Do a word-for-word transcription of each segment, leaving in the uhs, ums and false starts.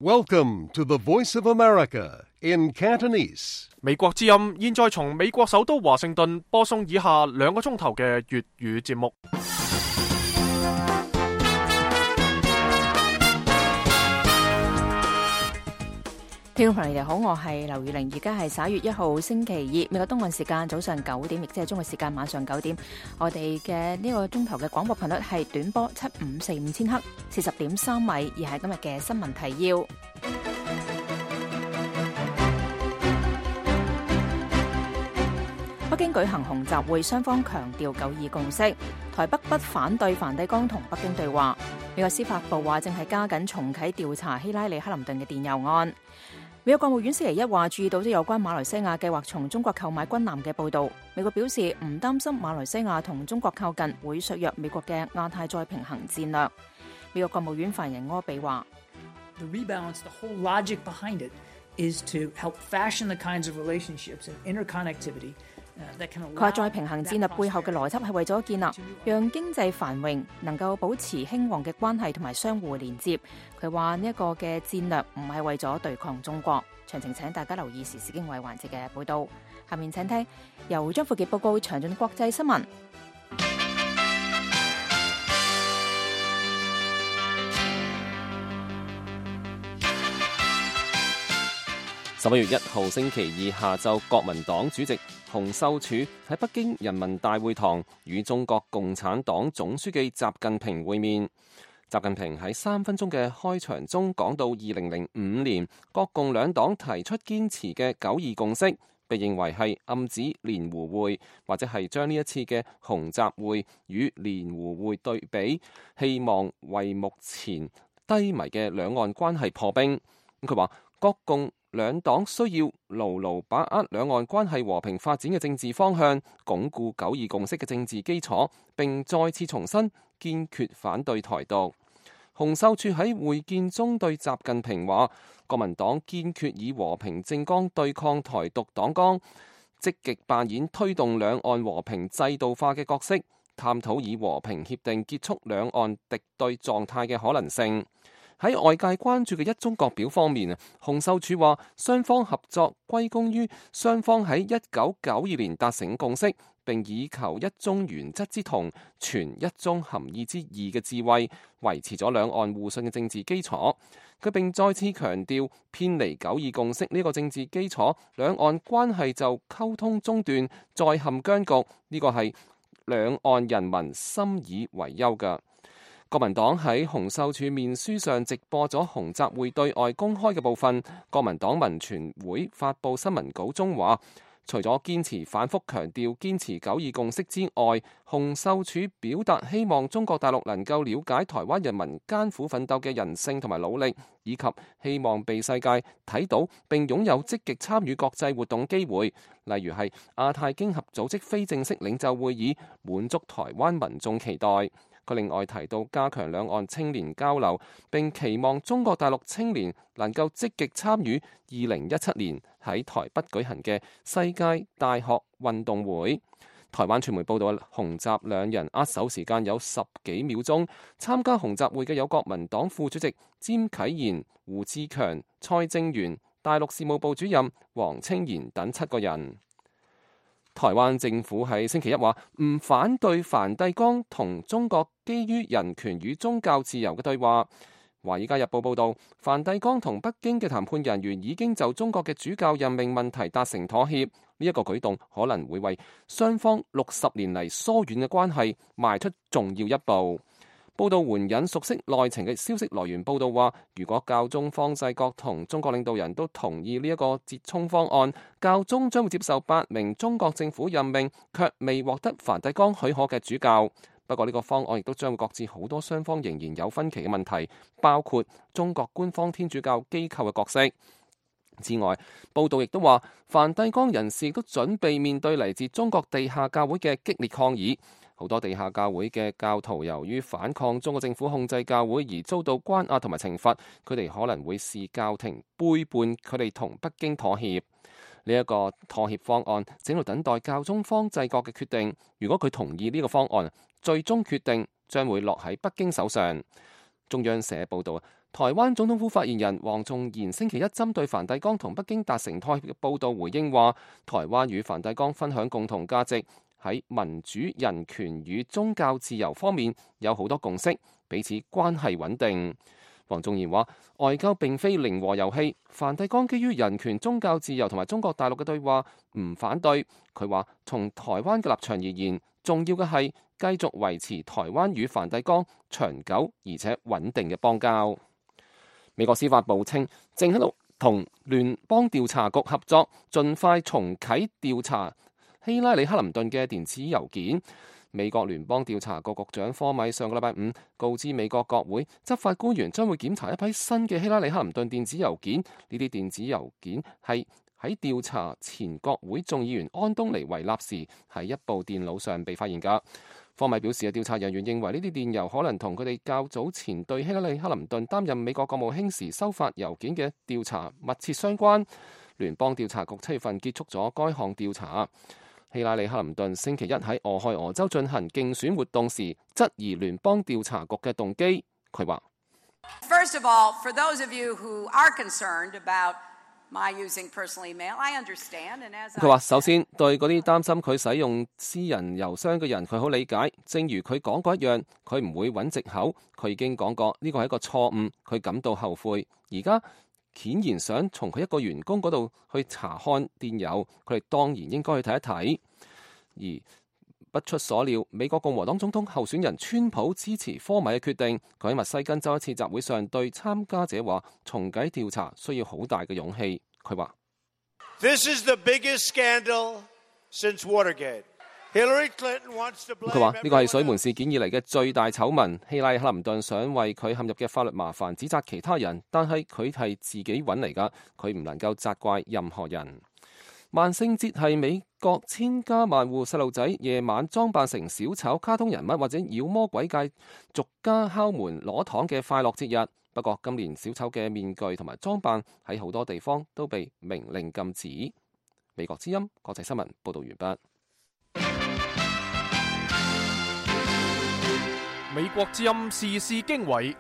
Welcome to the Voice of America in Cantonese. 美國之音現在從美國首都華盛頓播送以下兩個鐘頭嘅粵語節目。聽眾朋友你哋好，我係劉宇玲，而家係十一月一號星期二，美國東岸時間早上九點，亦即係中國時間晚上九點。我哋嘅呢個鐘頭嘅廣播頻率係短波七五四五千赫，四十點三米，而係今日嘅新聞提要。北京舉行紅集會，雙方強調九二共識。台北不反對梵蒂岡同北京對話。美國司法部話正係加緊重啟調查希拉里克林頓嘅電郵案。美國國務院星期一話注意到咗有關馬來西亞計劃從中國購買軍艦嘅報導。美國表示唔擔心馬來西亞同中國靠近會削弱美國嘅亞太再平衡戰略。美國國務院發言人柯比話 The rebalance, the whole logic behind it is to help fashion the kinds of relationships and interconnectivity.佢話再平衡戰略背後嘅邏輯係為咗建立讓經濟繁榮能夠保持興旺嘅關係同埋相互連接。佢話呢一個嘅戰略唔係為咗對抗中國。詳情請大家留意時事經緯環節嘅報導。下面請聽由張富傑報告詳盡國際新聞。十一月一號星期二下晝，國民黨主席洪秀柱喺北京人民大會堂與中國共產黨總書記習近平會面。習近平喺三分鐘嘅開場中講到二零零五年國共兩黨提出堅持嘅九二共識，被認為係暗指蓮湖會，或者係將呢一次嘅紅集會與蓮湖會對比，希望為目前低迷嘅兩岸關係破冰。佢話國共兩黨需要牢牢把握兩岸關係和平發展嘅政治方向，鞏固九二共識嘅政治基礎，並再次重申堅決反對台獨。洪秀柱喺會見中對習近平話，國民黨堅決以和平政綱對抗台獨黨綱，積極扮演推動兩岸和平制度化嘅角色，探討以和平協定結束兩岸敵對狀態嘅可能性。喺外界關注嘅一中各表方面啊，洪秀柱話雙方合作歸功於雙方喺一九九二年達成共識，並以求一中原則之同，傳一中含義之義嘅智慧，維持咗兩岸互信嘅政治基礎。佢並再次強調，偏離九二共識呢個政治基礎，兩岸關係就溝通中斷，再陷僵局。呢個係兩岸人民深以為憂㗎。國民黨喺洪秀柱面書上直播咗紅集會對外公開嘅部分。國民黨文傳會發布新聞稿中話，除咗堅持反覆強調堅持九二共識之外，洪秀柱表達希望中國大陸能夠了解台灣人民艱苦奮鬥嘅人性同埋努力，以及希望被世界睇到並擁有積極參與國際活動機會，例如係亞太經合組織非正式領袖會議，滿足台灣民眾期待。佢另外提到加強兩岸青年交流，並期望中國大陸青年能夠積極參與二零一七年喺台北舉行嘅世界大學運動會。台灣傳媒報道，紅集兩人握手時間有十幾秒鐘。參加紅集會嘅有國民黨副主席詹啟賢、胡志強、蔡正元、大陸事務部主任黃清賢等七個人。台灣政府喺星期一話唔反對梵蒂岡同中國基於人權與宗教自由嘅對話。華爾街日報報道，梵蒂岡同北京嘅談判人員已經就中國嘅主教任命問題達成妥協。呢一個舉動可能會為雙方六十年嚟疏遠嘅關係邁出重要一步。報道援引熟悉內情嘅消息來源報道話，如果教宗方濟各同中國領導人都同意呢一個折衷方案，教宗將會接受八名中國政府任命卻未獲得梵蒂岡許可嘅主教。不過呢個方案亦都將會擱置好多雙方仍然有分歧嘅問題，包括中國官方天主教機構嘅角色。之外，報道亦都話，梵蒂岡人士亦都準備面對嚟自中國地下教會嘅激烈抗議。好多地下教會嘅教徒由於反抗中國政府控制教會而遭到關押同埋懲罰，佢哋可能會視教廷背叛佢哋同北京妥協。呢一個妥協方案正喺度等待教宗方濟各嘅決定。如果佢同意呢個方案，最終決定將會落喺北京手上。中央社報道，台灣總統府發言人黃仲賢星期一針對梵蒂岡同北京達成妥協嘅報導回應話，台灣與梵蒂岡分享共同價值，喺民主、人權與宗教自由方面有好多共識，彼此關係穩定。黃仲賢話，外交並非零和遊戲，梵蒂岡基於人權、宗教自由同埋中國大陸嘅對話唔反對。佢話，從台灣嘅立場而言，重要嘅係繼續維持台灣與梵蒂岡長久而且穩定嘅邦交。美國司法部稱，正喺度同聯邦調查局合作，盡快重啟調查希拉里·克林頓嘅電子郵件。美國聯邦調查局局長科米上個禮拜五告知美國國會，執法官員將會檢查一批新嘅希拉里·克林頓電子郵件。呢啲電子郵件係喺調查前國會眾議員安東尼維納時喺一部電腦上被發現㗎。科米表示，調查人員認為呢啲電郵可能同佢哋較早前對希拉里·克林頓擔任美國國務卿時收發郵件嘅調查密切相關。聯邦調查局七月份結束咗該項調查。希拉里·克林頓星期一喺俄亥俄州進行競選活動時，質疑聯邦調查局嘅動機。佢話：First of all, for those of you who are concerned about my using personal email, I understand. And as 佢話，首先對嗰啲擔心佢使用私人郵箱嘅人，佢好理解。正如佢講過一樣，佢唔會揾藉口。佢已經講過呢個係一個錯誤，佢感到後悔。而家顯然想從佢一個員工嗰度去查看電郵，佢哋當然應該去睇一睇。而不出所料，美國共和黨總統候選人川普支持科米嘅決定。佢喺密西根州一次集會上對參加者話，重啟調查需要好大嘅勇氣。佢話：This is the biggest scandal since Watergate. Hillary Clinton wants to blame. 佢話呢個係水門事件以嚟嘅最大醜聞。希拉里·克林頓想為佢陷入嘅法律麻煩指責其他人，但係佢係自己揾嚟㗎，佢唔能夠責怪任何人。萬聖節係美國千家萬戶細路仔夜晚裝扮成小丑、卡通人物或者妖魔鬼怪，逐家敲門攞糖嘅快樂節日。不過今年小丑嘅面具同埋裝扮喺好多地方都被明令禁止。美國之音國際新聞報道完畢。美國之音時事經緯，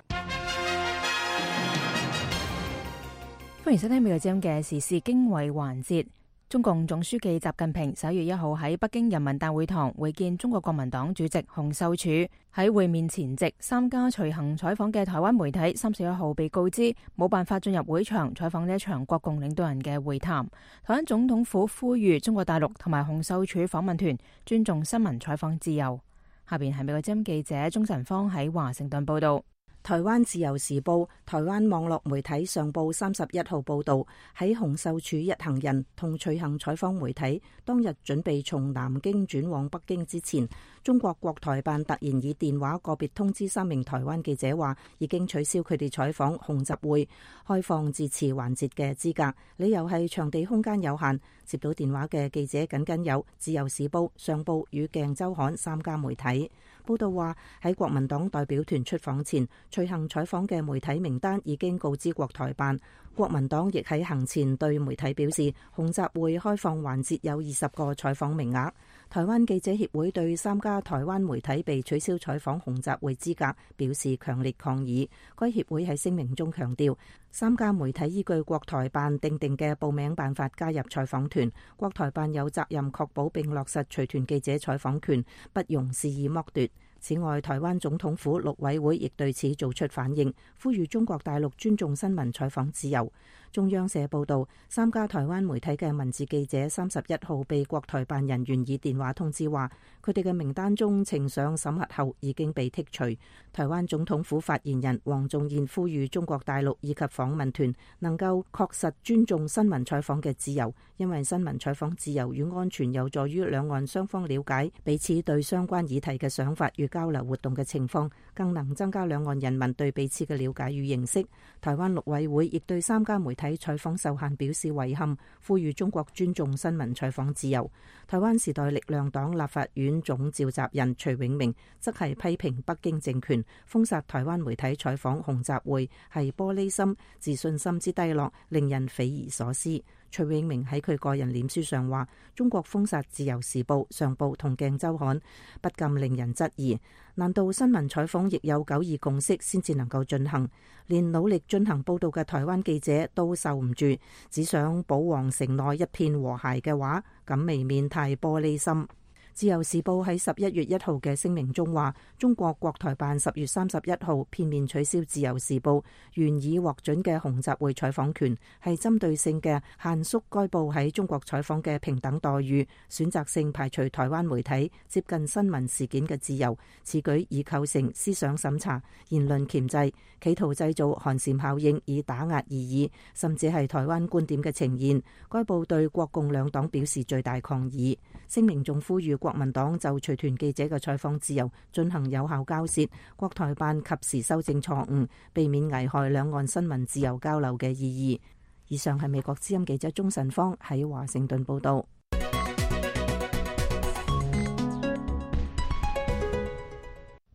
歡迎收聽美國之音嘅時事經緯環節。中共總書記習近平十一月一號喺北京人民大會堂會見中國國民黨主席洪秀柱。喺會面前夕，三家隨行採訪嘅台灣媒體三十一號被告知冇辦法進入會場採訪呢一場國共領導人嘅會談。台灣總統府呼籲中國大陸同埋洪秀柱訪問團尊重新聞採訪自由。下邊係美國之音記者鍾晨芳喺華盛頓報道。台灣自由時報、台灣網絡媒體上報三十一號報道，喺洪秀柱一行人同隨行採訪媒體當日準備從南京轉往北京之前，中國國台辦突然以電話個別通知三名台灣記者話，已經取消佢哋採訪洪習會開放致辭環節嘅資格，理由係場地空間有限。接到電話嘅記者僅僅有自由時報、上報與鏡週刊三家媒體。報道話喺國民黨代表團出訪前，隨行採訪嘅媒體名單已經告知國台辦。國民黨亦喺行前對媒體表示，洪習會開放環節有二十個採訪名額。台灣記者協會對三家台灣媒體被取消採訪洪習會資格表示強烈抗議。該協會喺聲明中強調，三家媒體依據國台辦訂定嘅報名辦法加入採訪團，國台辦有責任確保並落實隨團記者採訪權，不容肆意剝奪。此外，台灣總統府陸委會亦對此做出反應，呼籲中國大陸尊重新聞採訪自由。中央社報道，三家台灣媒體嘅文字記者三十一號被國台辦人員以電話通知話，佢哋嘅名單中呈上審核後已經被剔除。台灣總統府發言人黃仲賢呼籲中國大陸以及訪問團能夠確實尊重新聞採訪嘅自由，因為新聞採訪自由與安全有助於兩岸雙方了解彼此對相關議題嘅想法與交流活動嘅情況，更能增加兩岸人民對彼此嘅了解與認識。台灣陸委會亦對三家媒體採訪受限表示遺憾，呼籲中國尊重新聞採訪自由。台灣時代力量黨立法院總召集人徐永明則係批評北京政權封殺台灣媒體採訪洪習會係玻璃心、自信心之低落，令人匪夷所思。徐永明喺佢個人臉書上話：中國封殺自由時報、上報同鏡週刊，不禁令人質疑，難道新聞採訪亦有九二共識先至能夠進行？連努力進行報導嘅台灣記者都受唔住，只想保皇城內一片和諧嘅話，咁未免太玻璃心。自由時報喺十一月一號嘅聲明中話，中國國台辦十月三十一號片面取消自由時報原已獲准嘅紅集會採訪權，係針對性嘅限縮該報喺中國採訪嘅平等待遇，選擇性排除台灣媒體接近新聞事件嘅自由。此舉已構成思想審查、言論鉗制，企圖製造寒蟬效應以打壓異議，甚至係台灣觀點嘅呈現。該報對國共兩黨表示最大抗議。聲明仲呼籲國民黨就隨團記者嘅採訪自由進行有效交涉，國台辦及時修正錯誤，避免危害兩岸新聞自由交流嘅意義。以上係美國之音記者鍾晨芳喺華盛頓報道。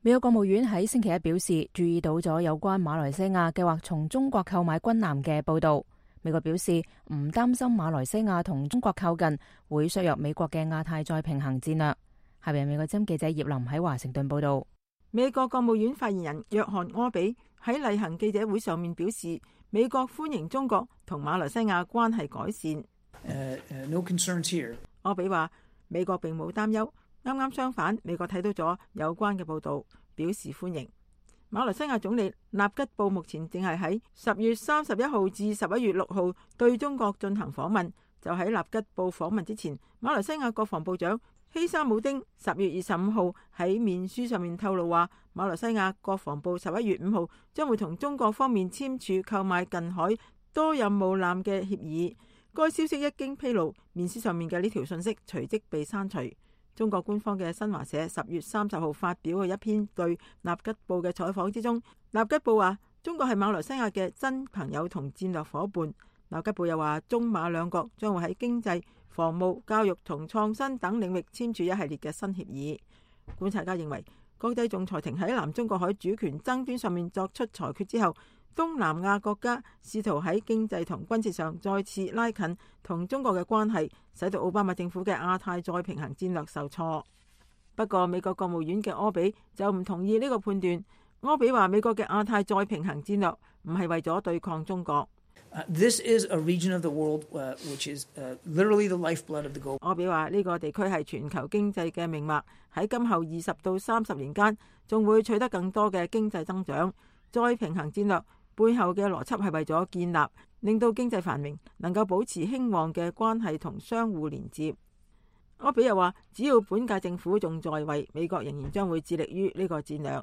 美國國務院喺星期一表示，注意到咗有關馬來西亞計劃從中國購買軍艦嘅報道。美國表示唔擔心馬來西亞同中國靠近會削弱美國嘅亞太再平衡戰略。下邊美國之音記者葉林喺華盛頓報道。美國國務院發言人約翰柯比喺例行記者會上面表示，美國歡迎中國同馬來西亞關係改善。Uh, uh, no concerns here. 柯比話美國並冇擔憂，啱啱相反，美國睇到咗有關嘅報道，表示歡迎。馬來西亞總理納吉布目前正係喺十月三十一號至十一月六號對中國進行訪問。就喺納吉布訪問之前，馬來西亞國防部長希沙姆丁十月二十五號喺面書上面透露話，馬來西亞國防部十一月五號將會同中國方面簽署購買近海多任務艦嘅協議。該消息一經披露，面書上面嘅呢條信息隨即被刪除。中國官方嘅新華社十月三十號發表嘅一篇對納吉布嘅採訪之中，納吉布話中國係馬來西亞嘅真朋友同戰略夥伴。納吉布又話中馬兩國將會喺經濟、防務、教育同創新等領域簽署一系列嘅新協議。觀察家認為，國際仲裁庭喺南中國海主權爭端上面作出裁決之後，東南亞國家試圖喺經濟同軍事上再次拉近同中國嘅關係，使到奧巴馬政府嘅亞太再平衡戰略受挫。不過美國國務院嘅柯比就唔同意呢個判斷。柯比話美國嘅亞太再平衡戰略唔係為咗對抗中國。Uh, this is a region of the world, uh, which is uh, literally the lifeblood of the globe. 柯比話呢個地區係全球經濟嘅命脈，喺今後二十到三十年間仲會取得更多嘅經濟增長。再平衡戰略背後嘅邏輯係為咗建立令到經濟繁榮能夠保持興旺嘅關係同相互連接。柯比又話只要本屆政府仲在位，美國仍然將會致力於呢個戰略。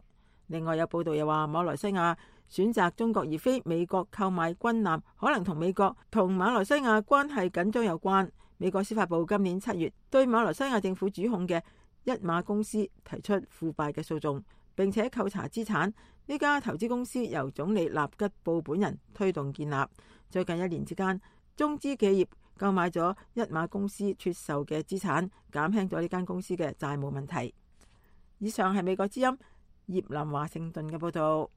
另外有報道又話馬來西亞選擇中國而非美國購買軍艦，可能同美國同馬來西亞關係緊張有關。美國司法部今年七月對馬來西亞政府主控嘅一馬公司提出腐敗嘅訴訟，並且扣查資產。呢家投資公司由總理納吉布本人推動建立。最近一年之間，中資企業購買咗一馬公司出售嘅資產，減輕咗呢間公司嘅債務問題。以上係美國之音葉林華盛頓嘅報道。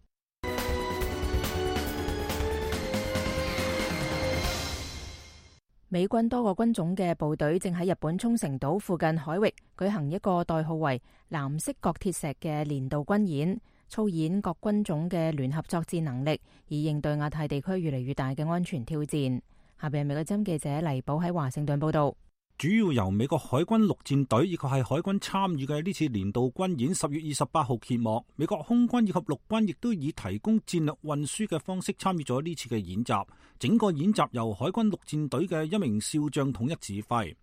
美軍多個軍種嘅部隊正喺日本沖繩島附近海域舉行一個代號為藍色角鐵石嘅年度軍演，操演各軍種嘅聯合作戰能力，以應對亞太地區越嚟越大嘅安全挑戰。下邊係美國之音記者黎寶喺華盛頓報道。主要由美國海軍陸戰隊以及係海軍參與嘅呢次年度軍演，十月二十八號揭幕。美國空軍以及陸軍亦都以提供戰略運輸嘅方式參與咗呢次嘅演習。整個演習由海軍陸戰隊嘅一名少將統一指揮。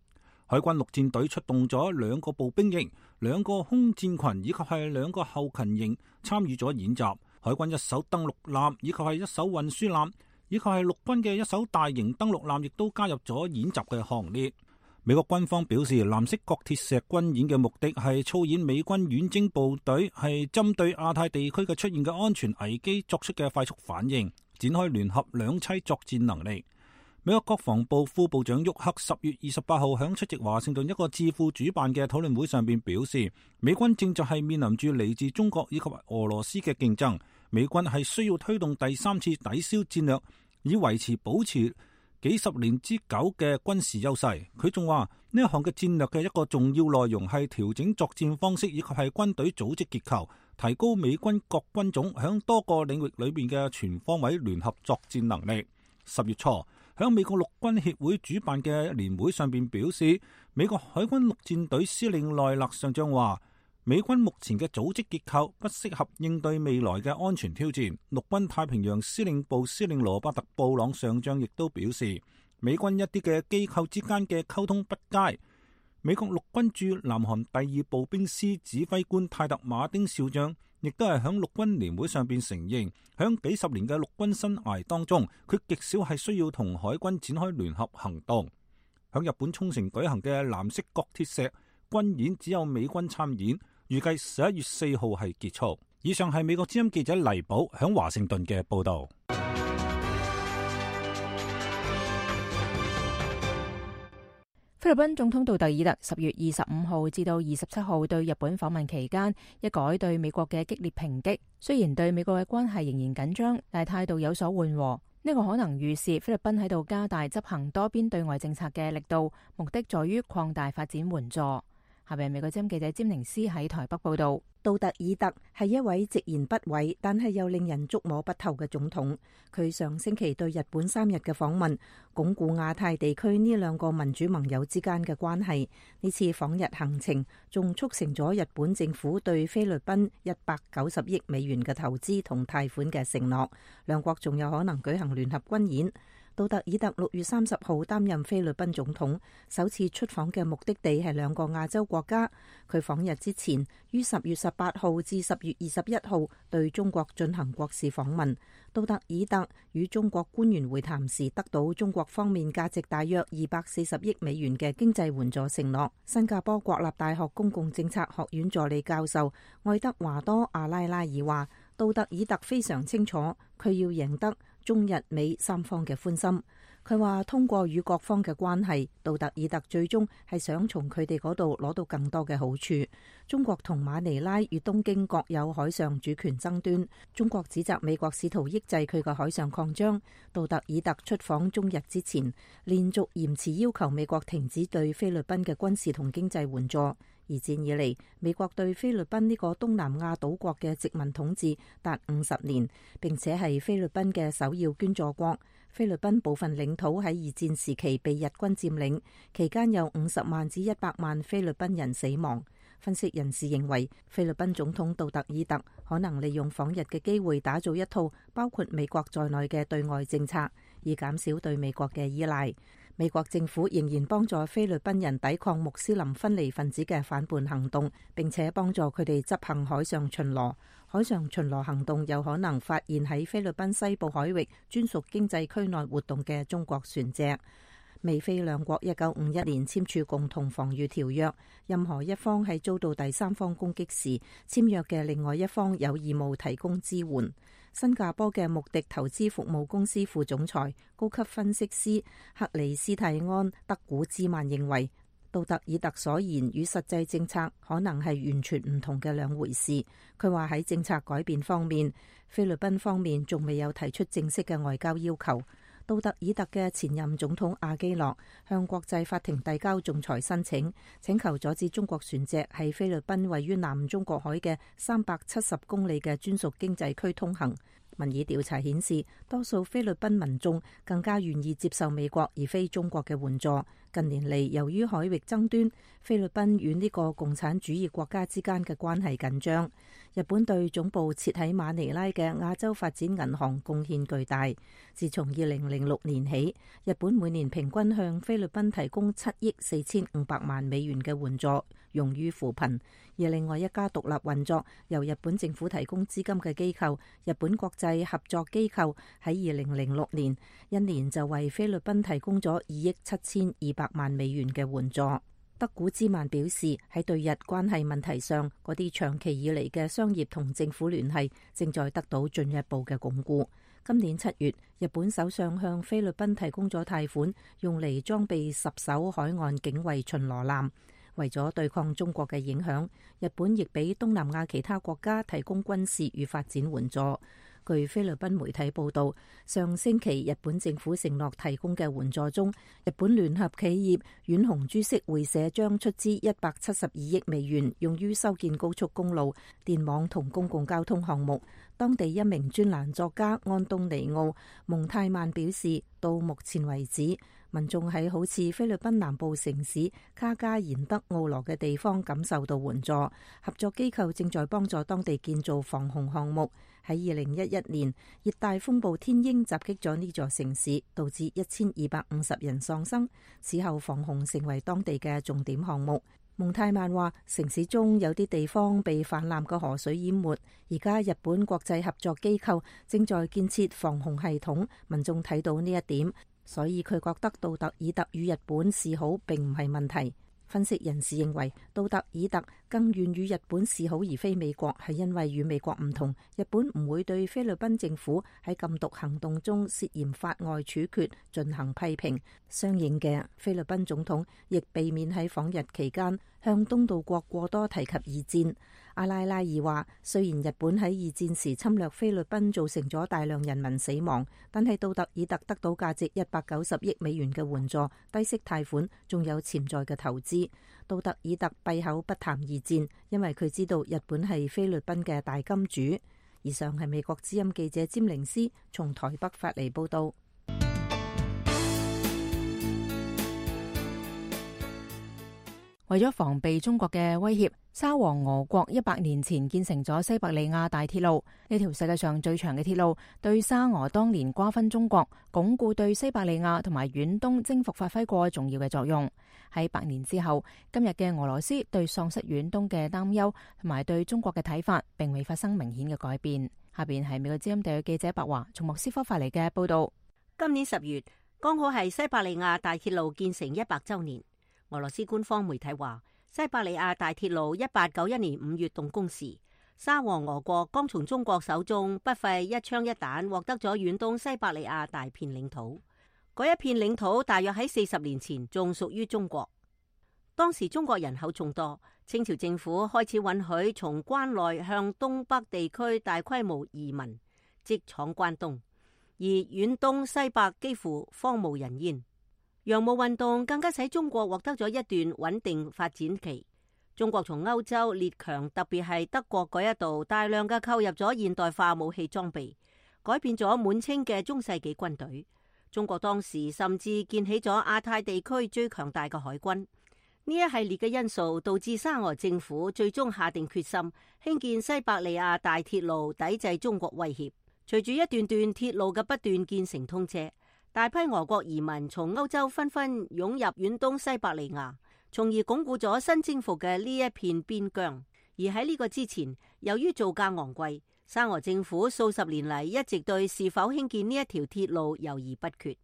海軍陸戰隊出動咗兩個步兵營、兩個空戰群以及係兩個後勤營參與咗演習。海軍一艘登陸艦以及係一艘運輸艦以及係陸軍嘅一艘大型登陸艦亦都加入咗演習嘅行列。美國軍方表示，藍色角鐵石軍演嘅目的係操演美軍遠征部隊係針對亞太地區嘅出現嘅安全危機作出嘅快速反應，展開聯合兩棲作戰能力。美國國防部副部長沃克十月二十八號響出席華盛頓一個智庫主辦嘅討論會上邊表示，美軍正就係面臨住嚟自中國以及俄羅斯嘅競爭，美軍係需要推動第三次抵消戰略，以維持保持幾十年之久嘅軍事優勢。佢仲話呢一項嘅戰略嘅一個重要內容係調整作戰方式以及係軍隊組織結構，提高美軍各軍種響多個領域裏邊嘅全方位聯合作戰能力。十月初響美國陸軍協會主辦嘅年會上邊表示，美國海軍陸戰隊司令奈勒上將話，美軍目前嘅組織結構不適合應對未來嘅安全挑戰。陸軍太平洋司令部司令羅伯特布朗上將亦都表示，美軍一啲嘅機構之間嘅溝通不佳。美國陸軍駐南韓第二步兵師指揮官泰特馬丁少將亦都係響陸軍年會上邊承認，響幾十年嘅陸軍生涯當中，佢極少係需要同海軍展開聯合行動。響日本沖繩舉行嘅藍色角鐵石軍演只有美軍參演，預計十一月四號係結束。以上係美國之音記者黎寶響華盛頓嘅報道。菲律賓總統杜特爾特十月二十五號至到二十七號對日本訪問期間，一改對美國嘅激烈抨擊。雖然對美國嘅關係仍然緊張，但係態度有所緩和。呢個可能預示菲律賓喺度加大執行多邊對外政策嘅力度，目的在於擴大發展援助。下邊美國之音記者詹寧斯喺台北報道。杜特爾特係一位直言不諱，但係又令人捉摸不透嘅總統。佢上星期對日本三日嘅訪問，鞏固亞太地區呢兩個民主盟友之間嘅關係。呢次訪日行程仲促成咗日本政府對菲律賓一百九十億美元嘅投資同貸款嘅承諾，兩國仲有可能舉行聯合軍演。杜特爾特六月三十號擔任菲律賓總統，首次出訪嘅目的地係兩個亞洲國家。佢訪日之前，於十月十八號至十月二十一號對中國進行國事訪問。杜特爾特與中國官員會談時，得到中國方面價值大約二百四十億美元嘅經濟援助承諾。新加坡國立大學公共政策學院助理教授愛德華多阿拉拉爾話，杜特爾特非常清楚，佢要贏得中日美三方嘅歡心。佢話通過與各方嘅關係，杜特爾特最終係想從佢哋嗰度攞到更多嘅好處。中國同馬尼拉與東京各有海上主權爭端，中國指責美國試圖抑制佢嘅海上擴張。杜特爾特出訪中日之前，連續嚴詞要求美國停止對菲律賓嘅軍事同經濟援助。二戰以嚟，美國對菲律賓呢個東南亞島國嘅殖民統治達五十年，並且係菲律賓嘅首要捐助國。菲律賓部分領土喺二戰時期被日軍佔領，期間有五十萬至一百萬菲律賓人死亡。分析人士認為，菲律賓總統杜特爾特可能利用訪日嘅機會打造一套包括美國在內嘅對外政策，以減少對美國嘅依賴。美國政府仍然幫助菲律賓人抵抗穆斯林分離分子嘅反叛行動，並且幫助佢哋執行海上巡邏。海上巡邏行動有可能發現喺菲律賓西部海域專屬經濟區內活動嘅中國船隻。美菲兩國一九五一年簽署共同防禦條約，任何一方喺遭到第三方攻擊時，簽約嘅另外一方有義務提供支援。新加坡嘅穆迪投資服務公司副總裁、高級分析師克里斯蒂安德古茲曼認為，杜特爾特所言與實際政策可能係完全唔同嘅兩回事。佢話喺政策改變方面，菲律賓方面仲未有提出正式嘅外交要求。杜特爾特嘅前任總統阿基諾向國際法庭遞交仲裁申請，請求阻止中國船隻喺菲律賓位於南中國海嘅三百七十公里嘅專屬經濟區通行。民意調查顯示，多數菲律賓民眾更加願意接受美國而非中國嘅援助。近年嚟，由於海域爭端，菲律賓與呢個共產主義國家之間嘅關係緊張。日本對總部設喺馬尼拉嘅亞洲發展銀行貢獻巨大。自從二零零六年起，日本每年平均向菲律賓提供七億四千五百萬美元嘅援助，用於扶貧。而另外一家獨立運作、由日本政府提供資金嘅機構——日本國際合作機構，喺二零零六年一年就為菲律賓提供咗二億七千二百萬美元嘅援助。德古茲曼表示，喺對日關係問題上，嗰啲長期以嚟嘅商業同政府聯繫正在得到進一步嘅鞏固。今年七月，日本首相向菲律賓提供咗貸款，用嚟裝備十艘海岸警衛巡邏艦。為咗對抗中國嘅影響，日本亦俾東南亞其他國家提供軍事與發展援助。據菲律賓媒體報道，上星期日本政府承諾提供嘅援助中，日本聯合企業遠雄株式會社將出資一百七十二億美元，用於修建高速公路、電網同公共交通項目。當地一名專欄作家安東尼奧蒙泰曼表示，到目前為止，民眾喺好似菲律賓南部城市卡加延德奧羅嘅地方感受到援助。合作機構正在幫助當地建造防洪項目。喺二零一一年，熱帶風暴天鷹襲擊咗呢座城市，導致一千二百五十人喪生。此後，防洪成為當地嘅重點項目。蒙泰曼話，城市中有啲地方被泛濫嘅河水淹沒，而家日本國際合作機構正在建設防洪系統，民眾睇到呢一點，所以佢覺得杜特爾特與日本示好並唔係問題。分析人士認為，杜特爾特更願與日本示好而非美國，係因為與美國唔同，日本唔會對菲律賓政府喺禁毒行動中涉嫌法外處決進行批評。相應嘅，菲律賓總統亦避免喺訪日期間向東道國過多提及二戰。阿拉拉爾話，雖然日本喺二戰時侵略菲律賓造成咗大量人民死亡，但係杜特爾特得到價值一百九十億美元嘅援助、低息貸款，仲有潛在嘅投資。杜特爾特閉口不談二戰，因為佢知道日本係菲律賓嘅大金主。以上係美國之音記者詹寧斯從台北發嚟報道。為咗防備中國嘅威脅，沙皇俄國一百年前建成咗西伯利亞大鐵路。呢條世界上最長嘅鐵路，對沙俄當年瓜分中國、鞏固對西伯利亞同埋遠東征服發揮過重要嘅作用。喺百年之後，今日嘅俄羅斯對喪失遠東嘅擔憂同埋對中國嘅睇法，並未發生明顯嘅改變。下邊係美國之音地記者白華從莫斯科發嚟嘅報道。今年十月剛好係西伯利亞大鐵路建成一百週年。俄羅斯官方媒體話，西伯利亞大鐵路一八九一年五月動工時，沙皇俄國剛從中國手中不費一槍一彈獲得咗遠東西伯利亞大片領土。嗰一片領土大約喺四十年前仲屬於中國。當時中國人口眾多，清朝政府開始允許從關內向東北地區大規模移民，即闖關東，而遠東西伯幾乎荒無人煙。洋務運動更加使中國獲得咗一段穩定發展期。中國從歐洲列強，特別係德國嗰一度大量嘅購入咗現代化武器裝備，改變咗滿清嘅中世紀軍隊。中國當時甚至建起咗亞太地區最強大嘅海軍。呢一系列嘅因素導致沙俄政府最終下定決心興建西伯利亞大鐵路，抵制中國威脅。隨住一段段鐵路嘅不斷建成通車，大批俄國移民從歐洲紛紛湧入遠東西伯利亞，從而鞏固咗新征服嘅呢一片邊疆。而喺呢個之前，由於造價昂貴，沙俄政府數十年嚟一直對是否興建呢一條鐵路猶豫不決。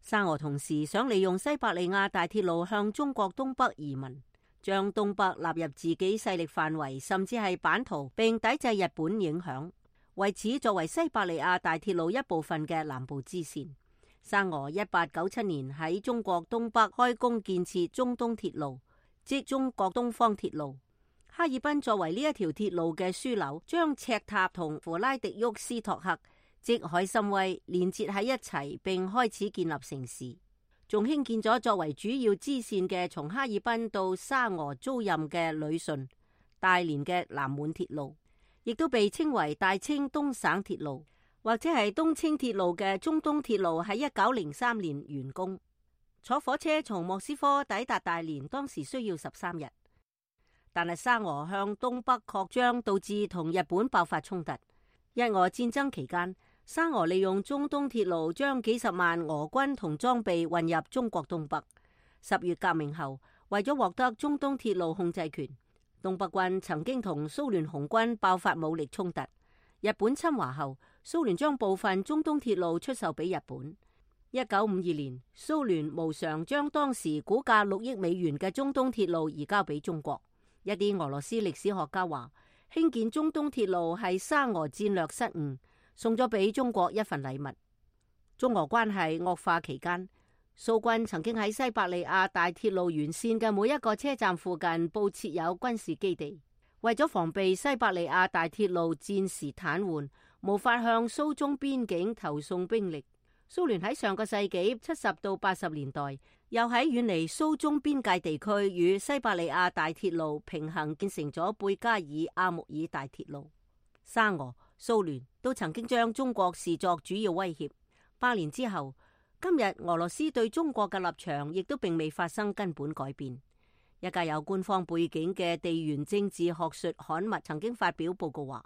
沙俄同時想利用西伯利亞大鐵路向中國東北移民，將東北納入自己勢力範圍，甚至係版圖，並抵制日本影響。為此，作為西伯利亞大鐵路一部分嘅南部支線，沙俄一八九七年喺中國東北開工建設中東鐵路，即中國東方鐵路。哈爾濱作為呢一條鐵路嘅樞紐，將赤塔同弗拉迪沃斯托克即海參崴連接喺一齊，並開始建立城市。仲興建咗作為主要支線嘅從哈爾濱到沙俄租賃嘅旅順、大連嘅南滿鐵路，亦都被稱為大清東省鐵路，或者係東清鐵路嘅中東鐵路，喺一九零三年完工。坐火車從莫斯科抵達大連當時需要十三日，但係沙俄向東北擴張，導致同日本爆發衝突。日俄戰爭期間，沙俄利用中東鐵路將幾十萬俄軍同裝備運入中國東北。十月革命後，為咗獲得中東鐵路控制權，東北軍曾經同蘇聯紅軍爆發武力衝突。日本侵華後，蘇聯將部分中東鐵路出售俾日本。一九五二年，蘇聯無償將當時估價六億美元嘅中東鐵路移交俾中國。一啲俄羅斯歷史學家話，興建中東鐵路係沙俄戰略失誤，送咗俾中國一份禮物。中俄關係惡化期間，蘇軍曾經喺西伯利亞大鐵路沿線嘅每一個車站附近佈設有軍事基地。為咗防備西伯利亞大鐵路戰時癱瘓，無法向蘇中邊境投送兵力。蘇聯喺上個世紀七十到八十年代，又喺遠離蘇中邊界地區與西伯利亞大鐵路平行建成咗貝加爾阿穆爾大鐵路。沙俄、蘇聯都曾經將中國視作主要威脅。八年之後，今日俄羅斯對中國嘅立場亦都並未發生根本改變。一家有官方背景嘅地緣政治學術刊物曾經發表報告話，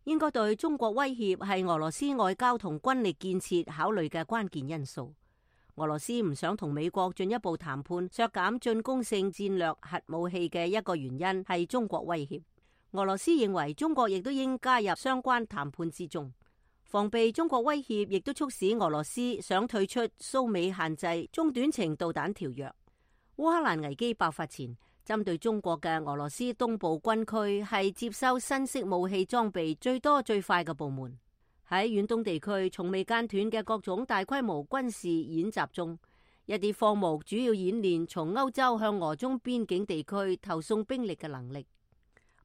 應該對中國威脅係俄羅斯外交同軍力建設考慮嘅關鍵因素。俄羅斯唔想同美國進一步談判削減進攻性戰略核武器嘅一個原因係中國威脅。俄羅斯認為中國亦都應加入相關談判之中，防備中國威脅，亦都促使俄羅斯想退出蘇美限制中短程導彈條約。烏克蘭危機爆發前，針對中國嘅俄羅斯東部軍區係接收新式武器裝備最多最快嘅部門。喺遠東地區從未間斷嘅各種大規模軍事演習中，一啲科目主要演練從歐洲向俄中邊境地區投送兵力嘅能力。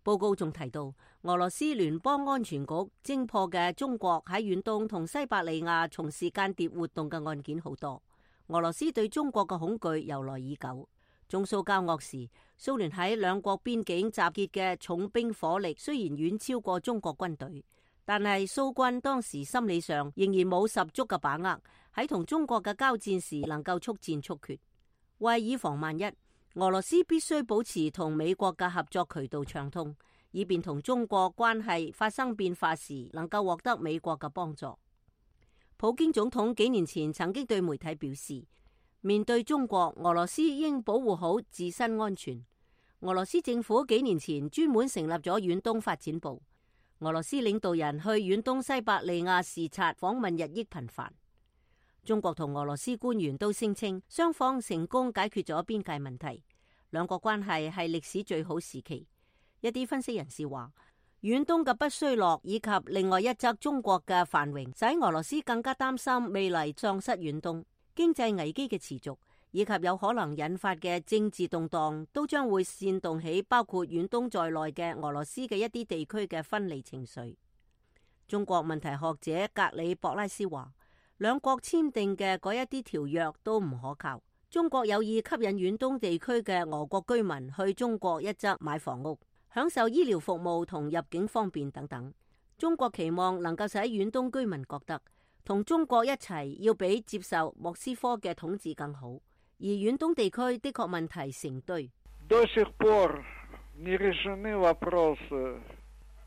報告仲提到，俄羅斯聯邦安全局偵破嘅中國喺遠東同西伯利亞從事間諜活動嘅案件好多。俄羅斯對中國嘅恐懼由來已久。中蘇交惡時，蘇聯喺兩國邊境集結嘅重兵火力雖然遠超過中國軍隊，但係蘇軍當時心理上仍然冇十足嘅把握，喺同中國嘅交戰時能夠速戰速決。為以防萬一，俄羅斯必須保持同美國嘅合作渠道暢通，以便同中國關係發生變化時能夠獲得美國嘅幫助。普京總統幾年前曾經對媒體表示，面對中國，俄羅斯應保護好自身安全。俄羅斯政府幾年前專門成立咗遠東發展部，俄羅斯領導人去遠東西伯利亞視察訪問日益頻繁。中國同俄羅斯官員都聲稱雙方成功解決咗邊界問題，兩國關係係歷史最好時期。一啲分析人士話，遠東嘅不衰落以及另外一側中國嘅繁榮，使俄羅斯更加擔心未來喪失遠東。經濟危機嘅持續以及有可能引發嘅政治動盪，都將會煽動起包括遠東在內嘅俄羅斯嘅一啲地區嘅分離情緒。中國問題學者格里博拉斯話，兩國簽訂嘅嗰一啲條約都唔可靠。中國有意吸引遠東地區嘅俄國居民去中國一側買房屋，享受醫療服務同入境方便等等。中國期望能夠使遠東居民覺得同中國一齊要比接受莫斯科嘅統治更好，而遠東地區的確問題成堆。До сих пор не решены вопросы,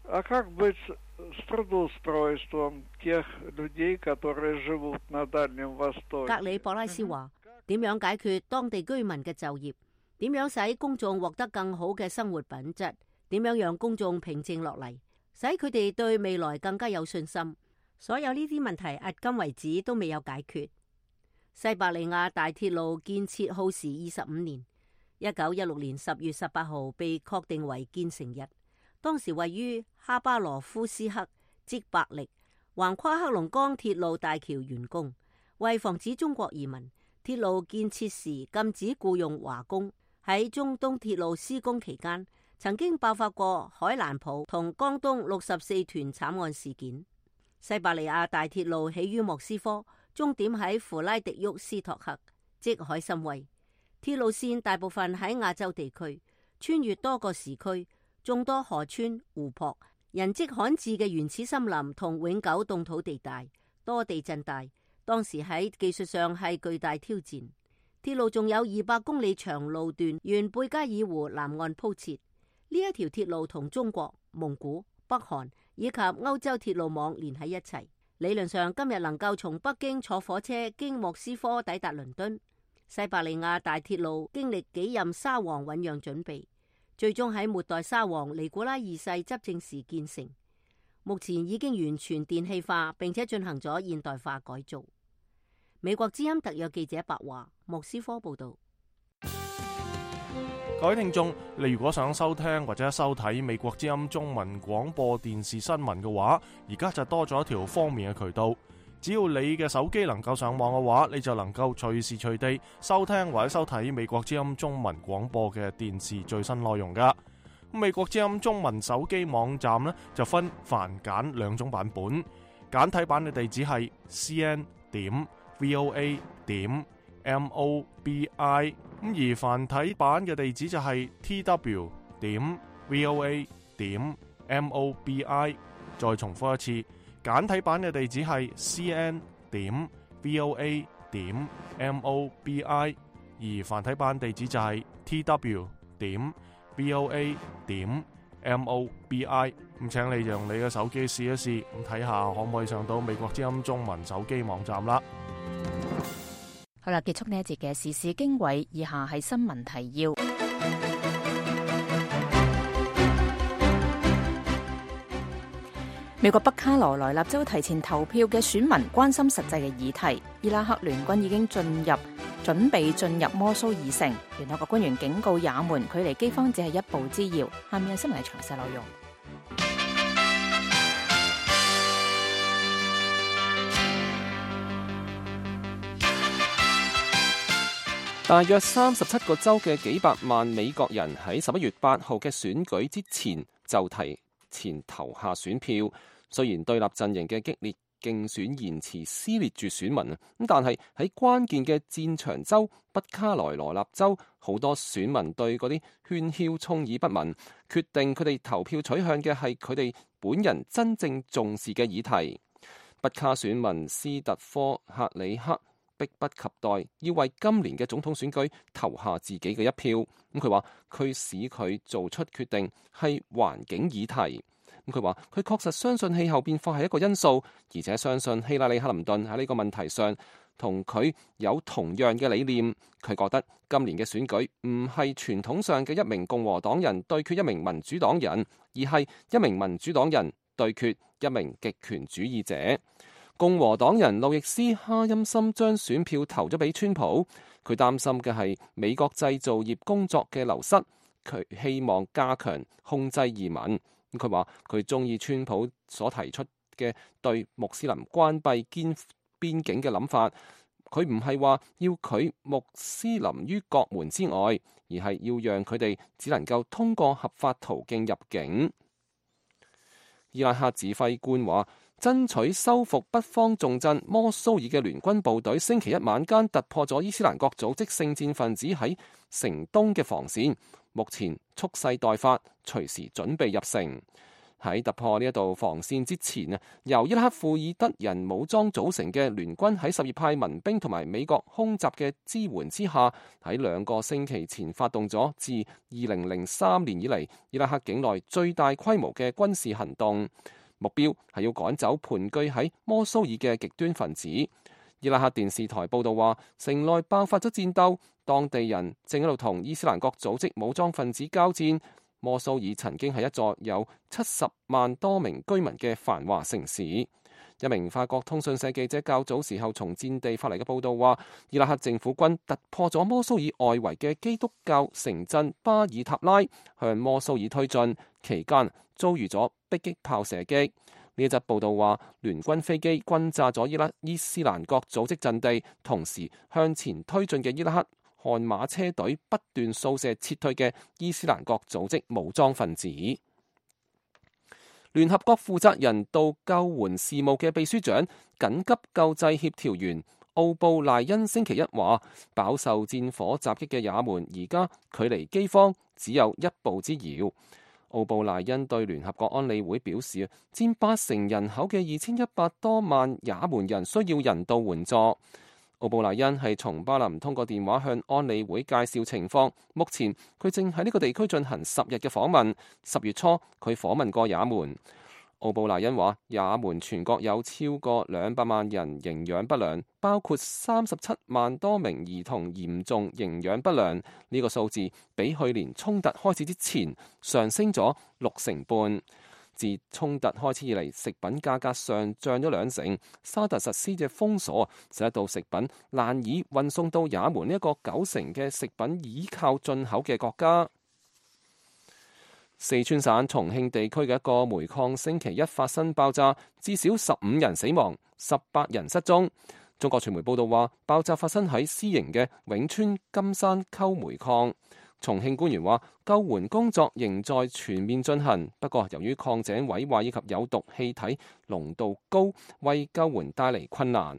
а как быть с трудоустройством тех людей, которые живут на Дальнем Востоке？格里博拉斯話：點樣解決當地居民嘅就業？點樣使公眾獲得更好嘅生活品質？點樣讓公眾平靜落嚟，使佢哋對未來更加有信心？所有呢啲問題，迄今為止都未有解決。西伯利亞大鐵路建設耗時二十五年，一九一六年十月十八號被確定為建成日。當時位於哈巴羅夫斯克即伯力，橫跨黑龍江鐵路大橋完工。為防止中國移民，鐵路建設時禁止僱用華工。喺中東鐵路施工期間，曾經爆發過海蘭普同江東六十四團慘案事件。西伯利亞大鐵路起於莫斯科，終點喺弗拉迪沃斯托克，即海參崴。鐵路線大部分喺亞洲地區，穿越多個時區，眾多河川、湖泊、人跡罕至嘅原始森林同永久凍土地帶，多地震帶。當時喺技術上係巨大挑戰。鐵路仲有二百公里長路段沿貝加爾湖南岸鋪設。呢一條鐵路同中國、蒙古、北韓以及歐洲鐵路網連喺一齊。理論上今日能夠從北京坐火車經莫斯科抵達倫敦。西伯利亞大鐵路經歷幾任沙皇醞釀準備，最終喺末代沙皇尼古拉二世執政時建成。目前已經完全電氣化，並且進行咗現代化改造。美國之音特約記者白華，莫斯科報道。各位聽眾，你如果想收聽或者收睇美國之音中文廣播電視新聞嘅話，而家就多咗一條方便嘅渠道。只要你嘅手機能夠上網嘅話，你就能夠隨時隨地收聽或者收睇美國之音中文廣播嘅電視最新內容噶。美國之音中文手機網站呢，就分繁簡兩種版本。簡體版嘅地址係 c n 點 v o a 點 m o b i， 咁而繁體版嘅地址就係 t w 點 v o a 點 m o b i。 再重複一次，簡體版嘅地址係 c n 點 v o a 點 m o b i， 而繁體版地址就係 t w 點 v o a 點 m o b i。 咁請你用你嘅手機試一試，咁睇下可唔可以上到美國之音中文手機網站啦。好啦，結束呢一節嘅時事經緯，以下係新聞提要。美國北卡羅來納州提前投票嘅選民關心實際嘅議題。伊拉克聯軍已經進入，準備進入摩蘇爾城。聯合國官員警告也門，距離饑荒只係一步之遙。下面係新聞嘅詳細內容。大約三十七個州嘅幾百萬美國人喺十一月八號嘅選舉之前就提前投下選票。雖然對立陣營嘅激烈競選言辭撕裂住選民，咁但係喺關鍵嘅戰場州北卡羅來納州，好多選民對嗰啲喧囂充耳不聞，決定佢哋投票取向嘅係佢哋本人真正重視嘅議題。北卡選民斯特科克里克迫不及待要為今年嘅總統選舉投下自己嘅一票。咁佢話佢使佢做出決定係環境議題。咁佢話佢確實相信氣候變化係一個因素，而且相信希拉里克林頓喺呢個問題上同佢有同樣嘅理念。佢覺得今年嘅選舉唔係傳統上嘅一名共和黨人對決一名民主黨人，而係一名民主黨人對決一名極權主義者。共和黨人路易斯哈欽森將選票投咗俾川普，佢擔心嘅係美國製造業工作嘅流失，佢希望加強控制移民。佢話佢中意川普所提出嘅對穆斯林關閉邊邊境嘅諗法，佢唔係話要拒穆斯林於國門之外，而係要讓佢哋只能夠通過合法途徑入境。伊拉克指揮官話，爭取收復北方重鎮摩蘇爾嘅聯軍部隊星期一晚間突破咗伊斯蘭國組織聖戰分子喺城東嘅防線，目前蓄勢待發，隨時準備入城。喺突破呢一道防線之前啊，由伊拉克庫爾德人武裝組成嘅聯軍喺什葉派民兵同埋美國空襲嘅支援之下，喺兩個星期前發動咗自二零零三年以嚟伊拉克境內最大規模嘅軍事行動，目標係要趕走盤踞喺摩蘇爾嘅極端分子。伊拉克電視台報道話，城內爆發咗戰鬥，當地人正喺度同伊斯蘭國組織武裝分子交戰。摩蘇爾曾經係一座有七十萬多名居民嘅繁華城市。一名法國通訊社記者較早時候從戰地發嚟嘅報道話，伊拉克政府軍突破咗摩蘇爾外圍嘅基督教城鎮巴爾塔拉，向摩蘇爾推進，期間遭遇咗迫擊炮射擊。呢一則報道話，聯軍飛機轟炸咗伊拉伊斯蘭國組織陣地，同時向前推進嘅伊拉克悍馬車隊不斷掃射撤退嘅伊斯蘭國組織武裝分子。聯合國負責人道救援事務嘅秘書長、緊急救濟協調員奧布賴恩星期一話，飽受戰火襲擊嘅也門而家距離饑荒只有一步之遙。奧布賴恩對聯合國安理會表示，佔八成人口嘅二千一百多萬也門人需要人道援助。奧布賴恩係從巴林通過電話向安理會介紹情況。目前佢正喺呢個地區進行十日嘅訪問。十月初佢訪問過也門。奧布賴恩話，也門全國有超過兩百萬人營養不良，包括三十七萬多名兒童嚴重營養不良。呢、這個數字比去年衝突開始之前上升咗六成半。自衝突開始以嚟，食品價格上漲咗兩成。沙特實施嘅封鎖，使到食品難以運送到也門呢一個九成嘅食品依靠進口嘅國家。四川省重慶地區嘅一個煤礦星期一發生爆炸，至少十五人死亡，十八人失蹤。中國傳媒報道話，爆炸發生喺私營嘅永川金山溝煤礦。重慶官員話，救援工作仍在全面進行，不過由於礦井毀壞以及有毒氣體濃度高，為救援帶嚟困難。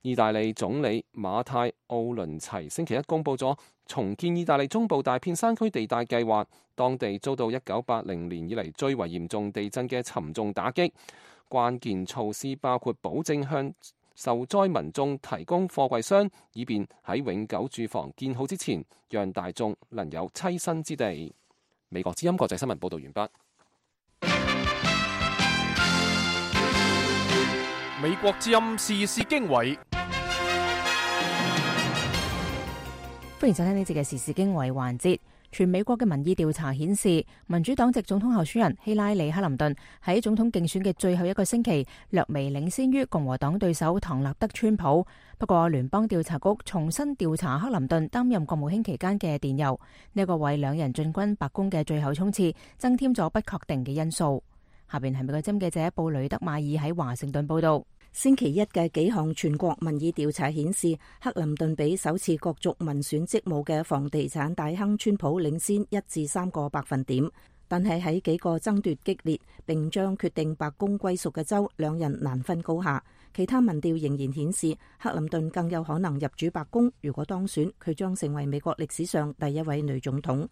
意大利總理馬泰奧倫齊星期一公佈咗重建意大利中部大片山區地帶計劃，當地遭到一九八零年以嚟最為嚴重地震嘅沉重打擊。關鍵措施包括保證向受災民眾提供貨櫃箱，以便喺永久住房建好之前，讓大眾能有棲身之地。美國之音國際新聞報導完畢。美國之音時事經緯。歡迎收聽呢節嘅時事經緯環節。全美國嘅民意調查顯示，民主黨籍總統候選人希拉里·克林頓喺總統競選嘅最後一個星期，略微領先於共和黨對手唐納德·川普。不過，聯邦調查局重新調查克林頓擔任國務卿期間嘅電郵，呢個為兩人進軍白宮嘅最後衝刺增添咗不確定嘅因素。下邊係美國之音記者布雷德馬爾喺華盛頓報道。星期一嘅幾項全國民意調查顯示，克林頓比首次角逐民選職務嘅房地產大亨川普領先一至三個百分點。但係喺幾個爭奪激烈並將決定白宮歸屬嘅州，兩人難分高下。其他民調仍然顯示，克林頓更有可能入主白宮。如果當選，佢將成為美國歷史上第一位女總統。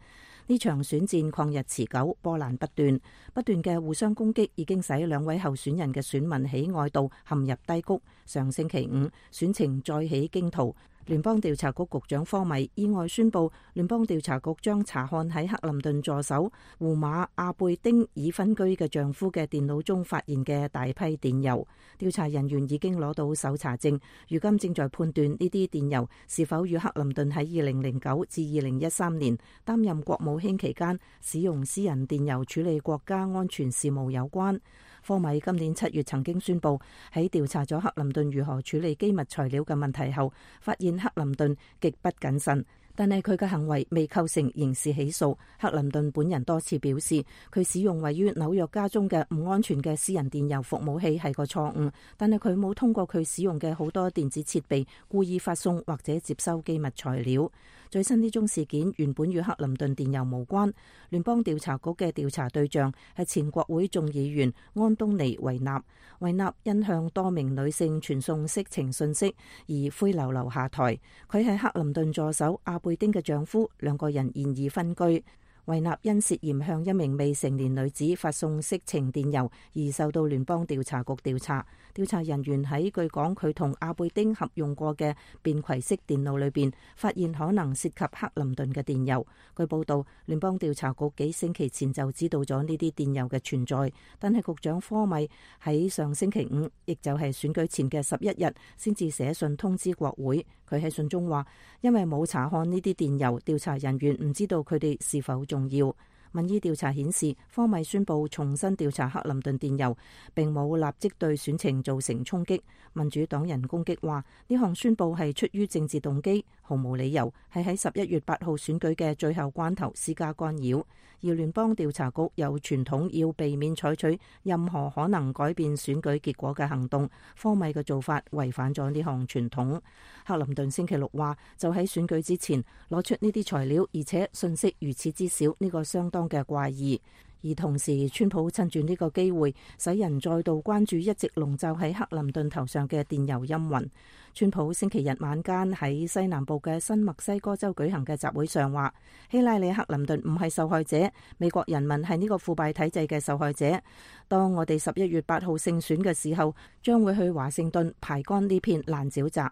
呢場選戰曠日持久，波瀾不斷，不斷嘅互相攻擊已經使兩位候選人嘅選民喜愛度陷入低谷。上星期五，選情再起驚濤。聯邦調查局局長科米意外宣布，聯邦調查局將查看喺克林頓助手胡馬阿貝丁已分居嘅丈夫嘅電腦中發現嘅大批電郵。調查人員已經攞到搜查證，如今正在判斷呢啲電郵是否與克林頓喺二零零九至二零一三年擔任國務卿期間使用私人電郵處理國家安全事務有關。科米今年七月曾經宣布，喺調查咗克林頓如何處理機密材料嘅問題後，發現克林頓極不謹慎，但係佢嘅行為未構成刑事起訴。克林頓本人多次表示，佢使用位於紐約家中嘅唔安全嘅私人電郵服務器係個錯誤，但係佢冇通過佢使用嘅好多電子設備故意發送或者接收機密材料。最新呢宗事件原本與克林頓電郵無關。聯邦調查局嘅調查對象係前國會眾議員安東尼維納。維納因向多名女性傳送色情信息而灰溜溜下台。佢係克林頓助手阿貝丁嘅丈夫，兩個人現已分居。維納因涉嫌向一名未成年女子發送色情電郵而受到聯邦調查局調查。調查人員喺據講佢同阿貝丁合用過嘅便攜式電腦裏邊發現可能涉及克林頓嘅電郵。據報道，聯邦調查局幾星期前就知道咗呢啲電郵嘅存在，但係局長科米喺上星期五，亦就係選舉前嘅十一日，先至寫信通知國會。佢喺信中話，因為冇查看呢啲電郵，調查人員唔知道佢哋是否重要。民意調查顯示，科米宣布重新調查克林頓電郵，並冇立即對選情造成衝擊。民主黨人攻擊話，呢項宣布係出於政治動機，毫無理由，係喺十一月八號選舉嘅最後關頭施加干擾。而聯邦調查局有傳統要避免採取任何可能改變選舉結果嘅行動，科米嘅做法違反咗呢項傳統。克林頓星期六話，就喺選舉之前攞出呢啲材料，而且信息如此之少，呢個相當嘅怪異。而同時，川普趁住呢個機會，使人再度關注一直籠罩喺克林頓頭上嘅電郵陰雲。川普星期日晚間喺西南部嘅新墨西哥州舉行嘅集會上話，希拉里·克林頓唔係受害者，美國人民係呢個腐敗體制嘅受害者。當我哋十一月八號勝選嘅時候，將會去華盛頓排乾呢片爛沼澤。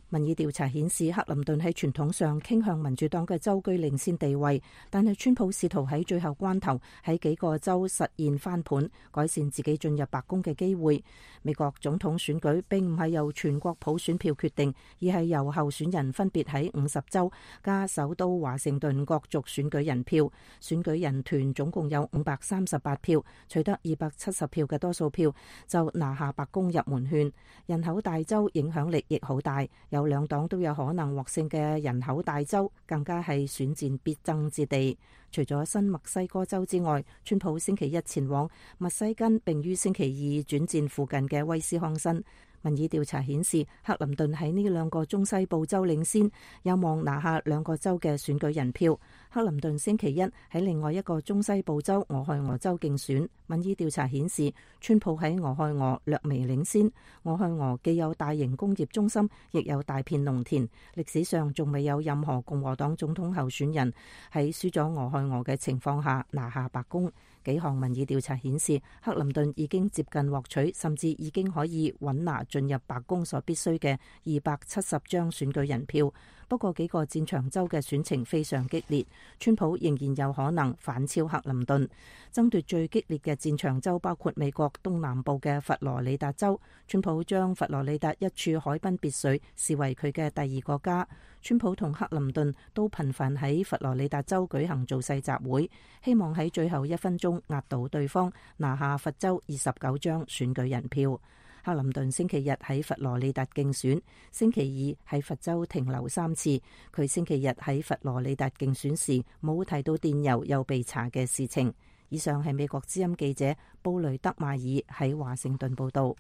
民意調查顯示，克林頓喺傳統上傾向民主黨嘅州居領先地位，但係川普試圖喺最後關頭喺幾個州實現翻盤，改善自己進入白宮嘅機會。美國總統選舉並唔係由全國普選票決定，而係由候選人分別喺五十州加首都華盛頓角逐選舉人票。選舉人團總共有五百三十八票，取得二百七十票嘅多數票，就拿下白宮入門券。人口大州影響力亦好大。有兩黨都有可能獲勝嘅人口大州，更加係選戰必爭之地。除咗新墨西哥州之外，川普星期一前往密西根，並於星期二轉戰附近嘅威斯康辛。民意調查顯示，克林頓喺呢兩個中西部州領先，有望拿下兩個州嘅選舉人票。克林頓星期一喺另外一個中西部州俄亥俄州競選，民意調查顯示，川普喺俄亥俄略微領先。俄亥俄既有大型工業中心，亦有大片農田，歷史上仲未有任何共和黨總統候選人喺輸咗俄亥俄嘅情況下拿下白宮。幾項民意調查顯示，克林頓已經接近獲取，甚至已經可以穩拿進入白宮所必須嘅二百七十張選舉人票。不過幾個戰場州嘅選情非常激烈，川普仍然有可能反超克林頓。爭奪最激烈嘅戰場州包括美國東南部嘅佛羅里達州，川普將佛羅里達一處海濱別墅視為佢嘅第二個家。川普同克林頓都頻繁喺佛羅里達州舉行造勢集會，希望喺最後一分鐘壓倒對方，拿下佛州二十九張選舉人票。克林頓星期日喺佛羅里達競選，星期二喺佛州停留三次。佢星期日喺佛羅里達競選時冇提到電郵又被查嘅事情。以上係美國之音記者布雷德馬爾喺華盛頓報道。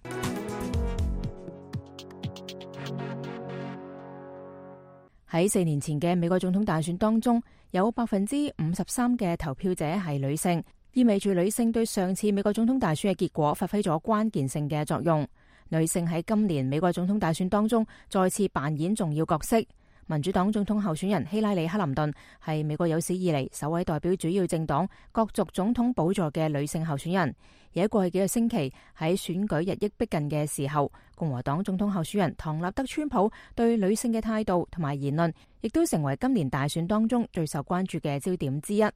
喺四年前嘅美國總統大選當中，有百分之五十三嘅投票者係女性，意味住女性對上次美國總統大選嘅結果發揮咗關鍵性嘅作用。女性喺今年美國總統大選當中再次扮演重要角色。民主黨總統候選人希拉里·克林頓係美國有史以嚟首位代表主要政黨角逐總統寶座嘅女性候選人。而喺過去幾個星期，喺選舉日益逼近嘅時候，共和黨總統候選人唐納德·川普對女性嘅態度同埋言論，亦都成為今年大選當中最受關注嘅焦點之一。下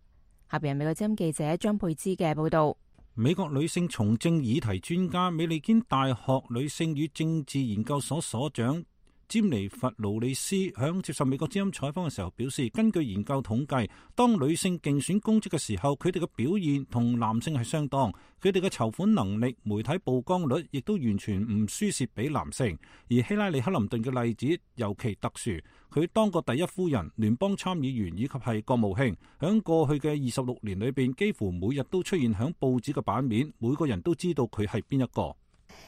邊係美國之音記者張佩芝嘅報道。美國女性從政議題專家、美利堅大學女性與政治研究所所長詹尼弗·勞里斯響接受美國之音採訪嘅時候表示，根據研究統計，當女性競選公職嘅時候，佢哋嘅表現同男性係相當，佢哋嘅籌款能力、媒體曝光率亦都完全唔輸蝕俾男性。而希拉里·克林頓嘅例子尤其特殊，佢當過第一夫人、聯邦參議員以及係國務卿，響過去嘅二十六年裏邊，幾乎每日都出現響報紙嘅版面，每個人都知道佢係邊一個。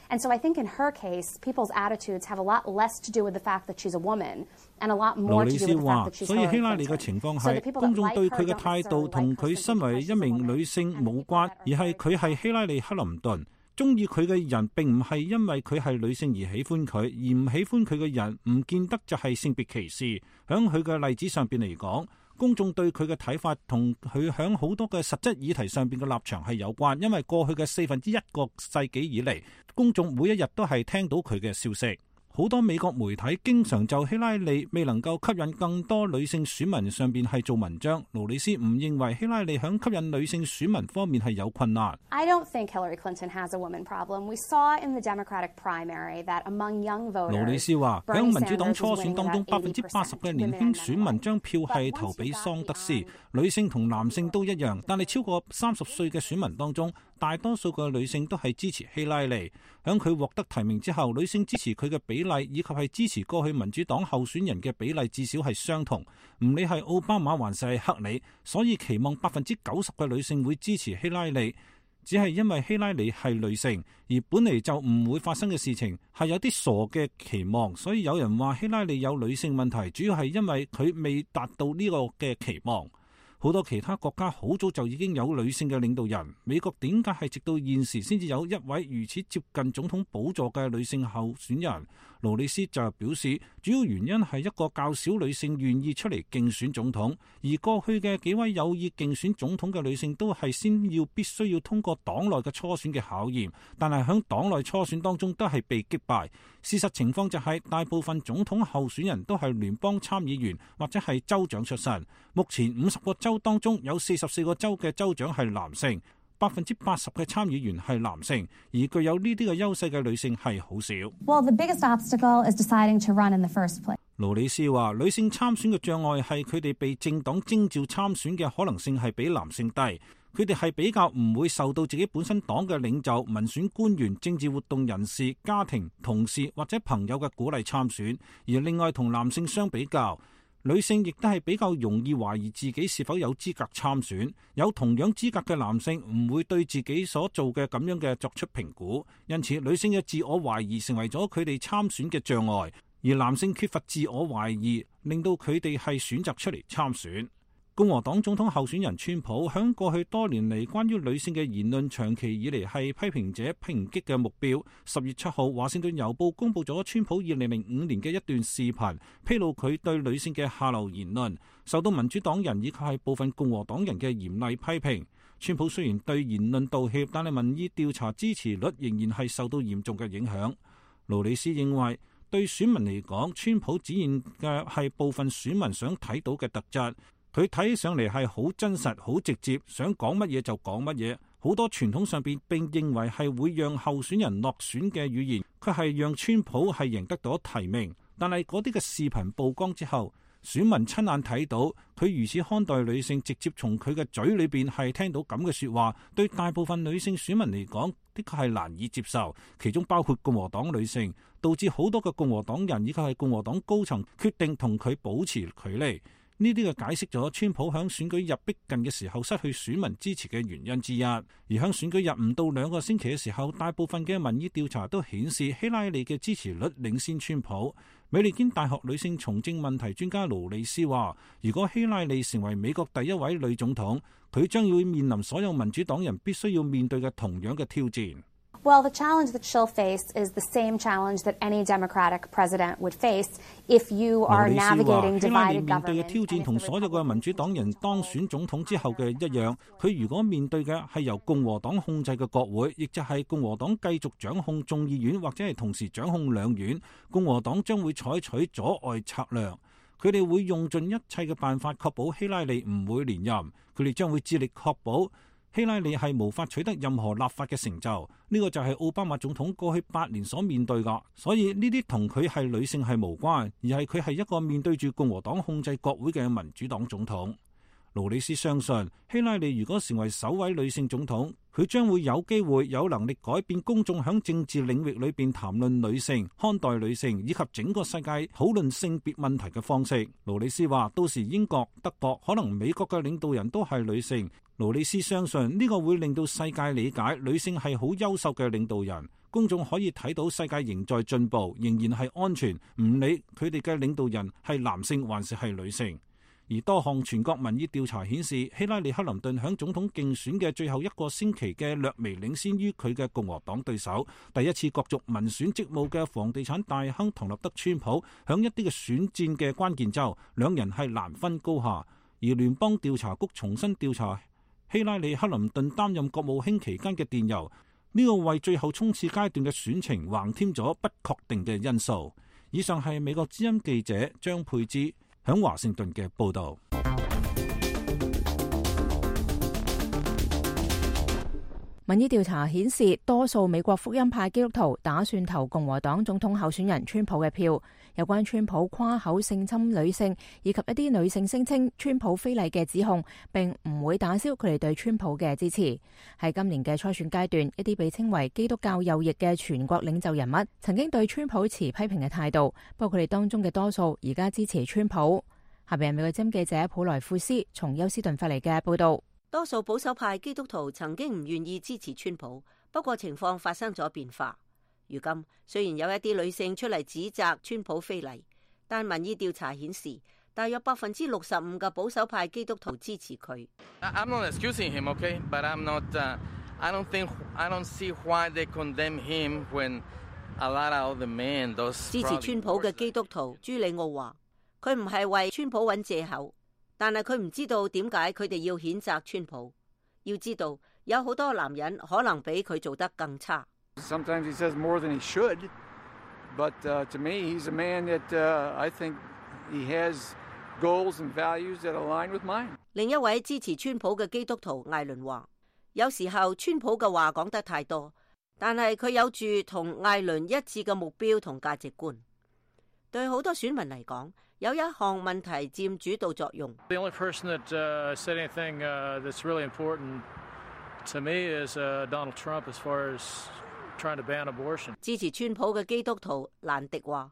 And so I think in her case, people's attitudes have a lot less to do with the fact that she's a woman, and a lot more to do with the fact that she's Hillary Clinton. 所以希拉里嘅情況係，公眾對佢嘅態度同佢身為一名女性冇關，而係佢係希拉里·克林頓。中意佢嘅人並唔係因為佢係女性而喜歡佢，而唔喜歡佢嘅人唔見得就係性別歧視。響佢嘅例子上邊嚟講，公眾對佢嘅睇法同佢響好多嘅實質議題上邊嘅立場係有關，因為過去嘅四分之一個世紀以嚟，公眾每一日都係聽到佢嘅消息。好多美國媒體經常就希拉里未能夠吸引更多女性選民上邊係做文章。勞里斯唔認為希拉里響吸引女性選民方面係有困難。I don't think Hillary Clinton has a woman problem. We saw in the Democratic primary that among young voters. 勞里斯話響民主黨初選當中，百分之八十嘅年輕選民將票係投俾桑德斯，女性同男性都一樣。但係超過三十歲嘅選民當中，大多數嘅女性都係支持希拉里。響佢獲得提名之後，女性支持佢嘅比例以及係支持過去民主黨候選人嘅比例至少係相同，唔理係奧巴馬還是係克里，所以期望百分之九十嘅女性會支持希拉里，只係因為希拉里係女性，而本嚟就唔會發生嘅事情係有啲傻嘅期望，所以有人話希拉里有女性問題，主要係因為佢未達到呢個嘅期望。好多其他國家好早就已經有女性嘅領導人，美國點解係直到現時先至有一位如此接近總統寶座嘅女性候選人？勞里斯就表示，主要原因係一個較少女性願意出嚟競選總統，而過去嘅幾位有意競選總統嘅女性都係先要必須要通過黨內嘅初選嘅考驗，但係喺黨內初選當中都係被擊敗。事實情況就係大部分總統候選人都係聯邦參議員或者係州長出身。目前五十個州當中有四十四個州嘅州長係男性，百分之八十嘅參議員係男性，而具有呢啲嘅優勢嘅女性係好少。Well, the biggest obstacle is deciding to run in the first place. 勞里斯話，女性參選嘅障礙係佢哋被政黨徵召參選嘅可能性係比男性低。佢哋係比較唔會受到自己本身黨嘅領袖、民選官員、政治活動人士、家庭、同事或者朋友嘅鼓勵參選。而另外同男性相比較，女性亦都係比較容易懷疑自己是否有資格參選。有同樣資格嘅男性唔會對自己所做嘅咁樣嘅作出評估，因此女性嘅自我懷疑成為咗佢哋參選嘅障礙，而男性缺乏自我懷疑，令到佢哋係選擇出嚟參選。共和黨總統候選人川普響過去多年嚟關於女性嘅言論，長期以嚟係批評者抨擊嘅目標。十月七號，華盛頓郵報公布咗川普二零零五年嘅一段視頻，披露佢對女性嘅下流言論，受到民主黨人以及係部分共和黨人嘅嚴厲批評。川普雖然對言論道歉，但係民意調查支持率仍然係受到嚴重嘅影響。勞里斯認為，對選民嚟講，川普展現嘅係部分選民想睇到嘅特質。佢睇起上嚟係好真實、好直接，想講乜嘢就講乜嘢。好多傳統上邊並認為係會讓候選人落選嘅語言，佢係讓川普係贏得到提名。但係嗰啲嘅視頻曝光之後，選民親眼睇到佢如此看待女性，直接從佢嘅嘴裏邊係聽到咁嘅說話，對大部分女性選民嚟講，的確係難以接受。其中包括共和黨女性，導致好多嘅共和黨人以及係共和黨高層決定同佢保持距離。呢啲嘅解釋咗川普響選舉日逼近嘅時候失去選民支持嘅原因之一。而響選舉日唔到兩個星期嘅時候，大部分嘅民意調查都顯示希拉里嘅支持率領先川普。美利堅大學女性從政問題專家勞里斯話，如果希拉里成為美國第一位女總統，佢將要面臨所有民主黨人必須要面對嘅同樣嘅挑戰。Well, the challenge that she'll face is the same challenge that any Democratic president would face if you are navigating divided government. 面對嘅挑戰同所有嘅民主黨人當選總統之後嘅一樣，佢如果面對嘅係由共和黨控制嘅國會，亦就係共和黨繼續掌控眾議院或者係同時掌控兩院，共和黨將會採取阻礙策略。佢哋會用盡一切嘅辦法確保希拉里唔會連任，佢哋將會致力確保希拉里係無法取得任何立法嘅成就，呢個就係奧巴馬總統過去八年所面對噶。所以呢啲同佢係女性係無關，而係佢係一個面對住共和黨控制國會嘅民主黨總統。勞里斯相信希拉里如果成為首位女性總統，佢將會有機會有能力改變公眾響政治領域裏邊談論女性、看待女性以及整個世界討論性別問題嘅方式。勞里斯話，到時英國、德國，可能美國嘅領導人都係女性。勞里斯相信呢個會令到世界理解女性係好優秀嘅領導人，公眾可以睇到世界仍在進步，仍然係安全，唔理佢哋嘅領導人係男性還是係女性。而多項全國民意調查顯示，希拉里克林頓響總統競選嘅最後一個星期嘅略微領先於佢嘅共和黨對手。第一次角逐民選職務嘅房地產大亨唐納德川普響一啲嘅選戰嘅關鍵州，兩人係難分高下。而聯邦調查局重新調查希拉里克林頓擔任國務卿期間嘅電郵，呢個為最後衝刺階段嘅選情橫添咗不確定嘅因素。以上係美國之音記者張佩芝響華盛頓嘅報道。民意調查顯示，多數美國福音派基督徒打算投共和黨總統候選人川普嘅票。有關川普誇口性侵女性以及一啲女性聲稱川普非禮嘅指控，並唔會打消佢哋對川普嘅支持。喺今年嘅初選階段，一啲被稱為基督教右翼嘅全國領袖人物曾經對川普持批評嘅態度，不過佢哋當中嘅多數而家支持川普。下邊係美國之音記者普萊庫斯從休斯頓發嚟嘅報道。多數保守派基督徒曾經唔願意支持川普，不過情況發生咗變化。如今雖然有一啲女性出嚟指責川普非禮，但民意調查顯示，大約百分之六十五嘅保守派基督徒支持佢。I'm not excusing him, okay? But I'm not. Uh, I don't think. I don't see why they condemn him when a lot of the men those. 支持川普嘅基督徒朱里奧話，佢唔係為川普揾藉口，但係佢唔知道點解佢哋要譴責川普。要知道，有好多男人可能比佢做得更差。Sometimes he says more than he should, but uh, to me, he's a man that uh, I think he has goals and values that align with mine. 另一位支持川普嘅基督徒艾倫話，有時候川普嘅話講得太多，但係佢有住同艾倫一致嘅目標同價值觀。對好多選民嚟講，有一項問題佔主導作用。The only person that uh, said anything uh, that's really important to me is uh, Donald Trump as far as trying to ban abortion. 支持川普嘅基督徒蘭迪話，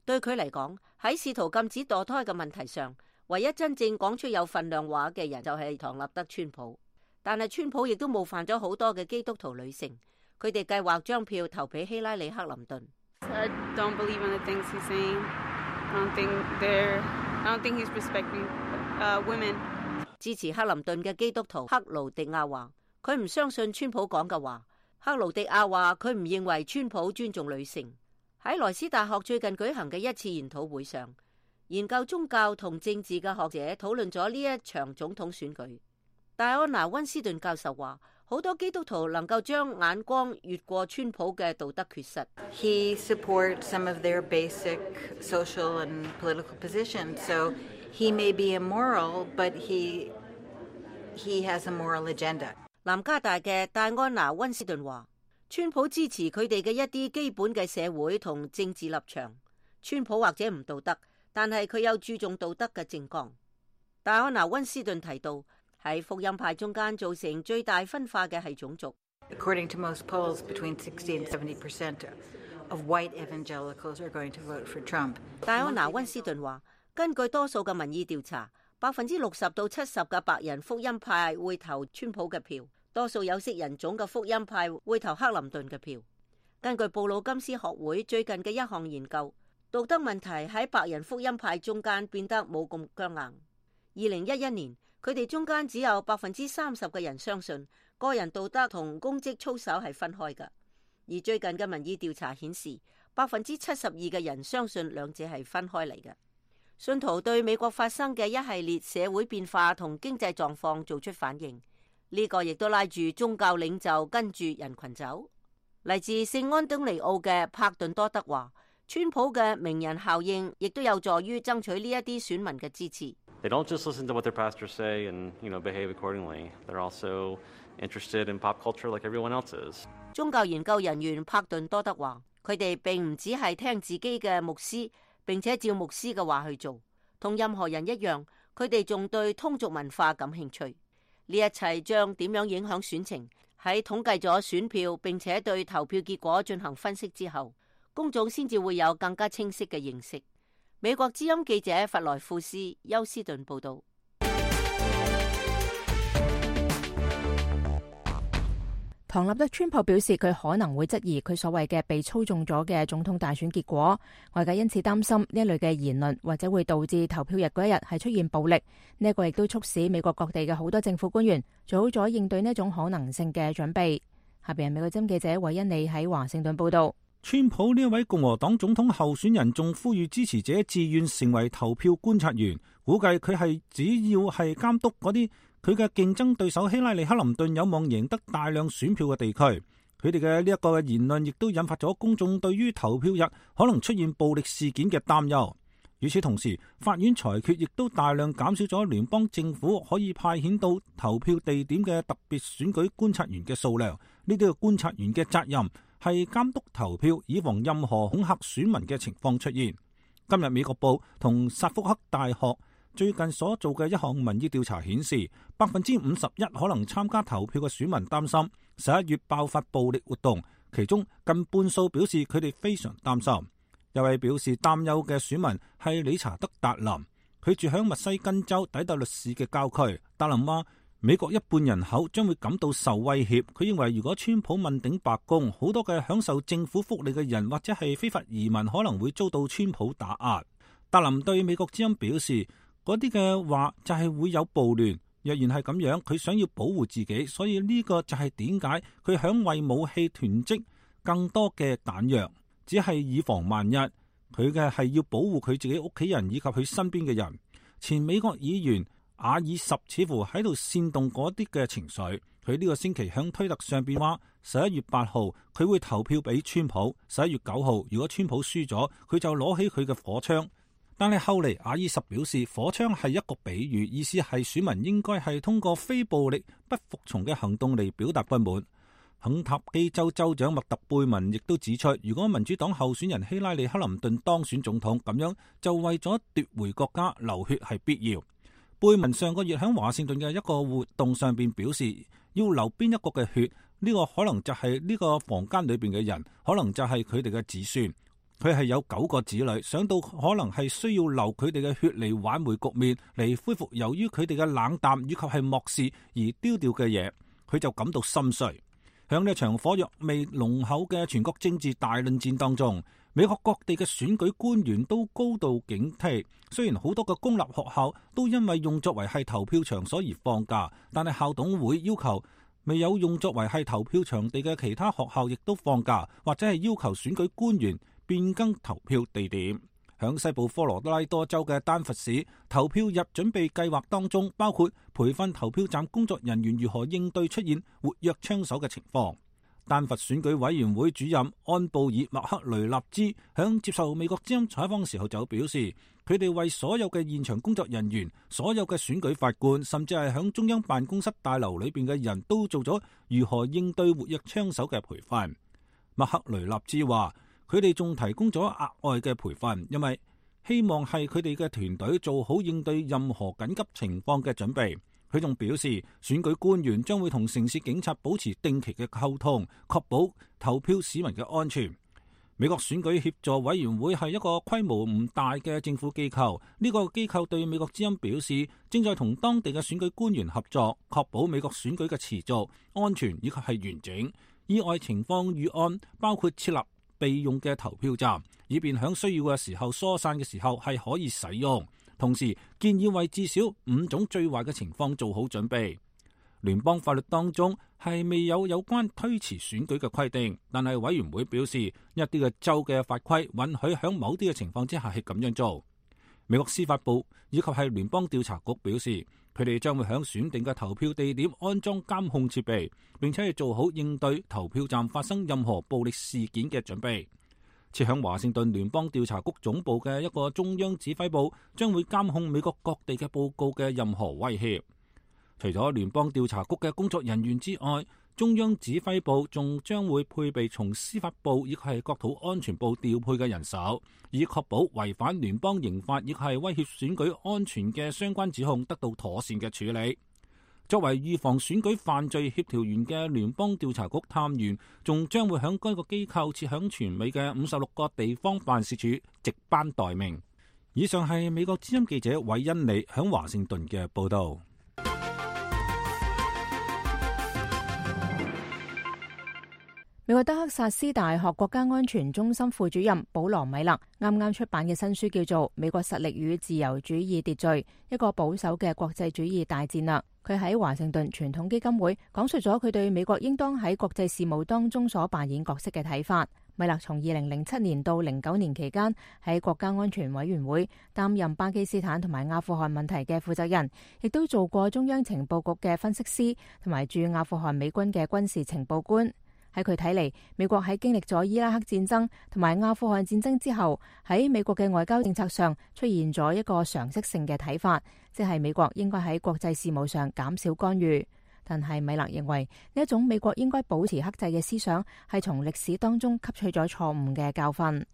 對佢嚟講，喺試圖禁止墮胎嘅問題上，唯一真正講出有份量話嘅人就係唐納德川普。但係川普亦都冒犯咗好多嘅基督徒女性，佢哋計劃將票投俾希拉里克林頓。I don't believe in the things he's saying. I don't think they're, I don't think he's respecting, uh, women. 支持克林頓嘅基督徒克勞迪亞話，佢唔相信川普講嘅話。克勞迪亞話佢唔認為川普尊重女性。喺萊斯大學最近舉行嘅一次研討會上，研究宗教同政治嘅學者討論咗呢一場總統選舉。戴安娜溫斯頓教授話，好多基督徒能夠將眼光越過川普嘅道德缺失。He supports some of their basic social and political positions, so he may be immoral, but he he has a moral agenda. 南加大嘅戴安娜溫斯頓話，川普支持佢哋嘅一啲基本嘅社會同政治立場。川普或者唔道德，但係佢有注重道德嘅政綱。戴安娜溫斯頓提到，喺福音派中間造成最大分化嘅係種族。According to most polls, between sixty and seventy percent of white evangelicals are going to vote for Trump. 戴安娜溫斯頓話，根據多數嘅民意調查，百分之六十到七十嘅白人福音派會投川普嘅票，多數有色人種嘅福音派會投克林頓嘅票。根據布魯金斯學會最近嘅一項研究，道德問題喺白人福音派中間變得冇咁僵硬。二零一一年，佢哋中間只有百分之三十嘅人相信個人道德同公職操守係分開嘅，而最近嘅民意調查顯示，百分之七十二嘅人相信兩者係分開嚟嘅。信徒對美國發生嘅一系列社會變化同經濟狀況做出反應，呢、這個亦都拉住宗教領袖跟住人群走。嚟自聖安東尼奧嘅帕頓多德話，川普嘅名人效應亦都有助於爭取呢一啲選民嘅支持。They don't just listen to what their pastors say and, you know, behave accordingly. They're also interested in pop culture like everyone else is. 宗教研究人員帕頓多德話，佢哋並唔只係聽自己嘅牧師，並且照牧師嘅話去做，同任何人一樣，佢哋仲對通俗文化感興趣。呢一切將點樣影響選情？喺統計咗選票並且對投票結果進行分析之後，公眾先至會有更加清晰嘅認識。美國之音記者弗萊庫斯休斯頓報道。唐納德川普表示，佢可能會質疑佢所謂嘅被操縱咗嘅總統大選結果，外界因此擔心呢一類嘅言論或者會導致投票日嗰一日係出現暴力。呢一個亦都促使美國各地嘅好多政府官員做好咗應對呢一種可能性嘅準備。下邊係美國之音記者韋恩利喺華盛頓報道。川普呢一位共和黨總統候選人仲呼籲支持者自願成為投票觀察員，估計佢係只要係監督嗰啲佢嘅競爭對手希拉里克林頓有望贏得大量選票嘅地區。佢哋嘅呢一個言論亦都引發咗公眾對於投票日可能出現暴力事件嘅擔憂。與此同時，法院裁決亦都大量減少咗聯邦政府可以派遣到投票地點嘅特別選舉觀察員嘅數量。呢啲嘅觀察員嘅責任係監督投票，以防任何恐嚇選民嘅情況出現。今日美國報同薩福克大學最近所做嘅一項民意調查顯示，百分之五十一可能參加投票嘅選民擔心十一月爆發暴力活動，其中近半數表示佢哋非常擔心。有位表示擔憂嘅選民係理查德達林，佢住響密西根州底特律市嘅郊區。達林話，美國一半人口將會感到受威脅。佢認為如果川普問鼎白宮，好多嘅享受政府福利嘅人或者係非法移民可能會遭到川普打壓。達林對美國之音表示，嗰啲嘅話就係會有暴亂。若然係咁樣，佢想要保護自己，所以呢個就係點解佢想為武器囤積更多嘅彈藥，只係以防萬一。佢嘅係要保護佢自己屋企人以及佢身邊嘅人。前美國議員阿爾什似乎喺度煽動嗰啲嘅情緒。佢呢個星期響推特上邊話，十一月八號佢會投票俾川普，十一月九號如果川普輸咗，佢就攞起佢嘅火槍。但係後嚟阿爾什表示，火槍係一個比喻，意思係選民應該係通過非暴力不服從嘅行動嚟表達不滿。肯塔基州州長麥特貝文亦都指出，如果民主黨候選人希拉里克林頓當選總統，咁樣就為咗奪回國家流血係必要。貝文上個月喺華盛頓嘅一個活動上邊表示，要流邊一個嘅血，呢個可能就係呢個房間裏邊嘅人，可能就係佢哋嘅子孫。佢係有九個子女，想到可能係需要流佢哋嘅血嚟挽回局面，嚟恢復由於佢哋嘅冷淡以及係漠視而丟掉嘅嘢，佢就感到心碎。響呢一場火藥味濃厚嘅全國政治大論戰當中，美國各地嘅選舉官員都高度警惕。雖然好多嘅公立學校都因為用作為係投票場所而放假，但係校董會要求未有用作為係投票場地嘅其他學校亦都放假，或者係要求選舉官員變更投票地點。響西部科羅拉多州嘅丹佛市，投票日準備計劃當中包括培訓投票站工作人員如何應對出現活躍槍手嘅情況。丹佛選舉委員會主任安布爾麥克雷納茲響接受美國之音採訪時候就表示，佢哋為所有嘅現場工作人員、所有嘅選舉法官，甚至係響中央辦公室大樓裏邊嘅人都做咗如何應對活躍槍手嘅培訓。麥克雷納茲話，佢哋仲提供咗額外嘅培訓，因為希望係佢哋嘅團隊做好應對任何緊急情況嘅準備。佢仲表示，選舉官員將會同城市警察保持定期嘅溝通，確保投票市民嘅安全。美國選舉協助委員會係一個規模唔大嘅政府機構，呢個機構對美國之音表示，正在同當地嘅選舉官員合作，確保美國選舉嘅持續、安全以及係完整。意外情況預案包括設立備用嘅投票站，以便響需要嘅時候疏散嘅時候係可以使用。同時建議為至少五種最壞嘅情況做好準備。聯邦法律當中係未有有關推遲選舉嘅規定，但係委員會表示一啲嘅州嘅法規允許響某啲嘅情況之下係咁樣做。美國司法部以及係聯邦調查局表示，佢哋將會響選定嘅投票地點安裝監控設備，並且係做好應對投票站發生任何暴力事件嘅準備。設響華盛頓聯邦調查局總部嘅一個中央指揮部將會監控美國各地嘅報告嘅任何威脅。除咗聯邦調查局嘅工作人員之外，中央指揮部仲將會配備從司法部以及係國土安全部調配嘅人手，以確保違反聯邦刑法亦係威脅選舉安全嘅相關指控得到妥善嘅處理。作為預防選舉犯罪協調員嘅聯邦調查局探員，仲將會響該個機構設響全美嘅五十六個地方辦事處值班待命。以上係美國之音記者韋恩利響華盛頓嘅報道。美國德克薩斯大學國家安全中心副主任保羅米勒啱啱出版嘅新書叫做《美國實力與自由主義秩序：一個保守嘅國際主義大戰略》。佢喺華盛頓傳統基金會講述咗佢對美國應當喺國際事務當中所扮演角色嘅睇法。米勒從二零零七年到零九年期間喺國家安全委員會擔任巴基斯坦同埋阿富汗問題嘅負責人，亦都做過中央情報局嘅分析師同埋駐阿富汗美軍嘅軍事情報官。喺佢睇嚟，美國喺經歷咗伊拉克戰爭同埋阿富汗戰爭之後，喺美國嘅外交政策上出現咗一個常識性嘅睇法，即係美國應該喺國際事務上減少干預。但係米勒認為呢一種美國應該保持克制嘅思想，係從歷史當中吸取咗錯誤嘅教訓。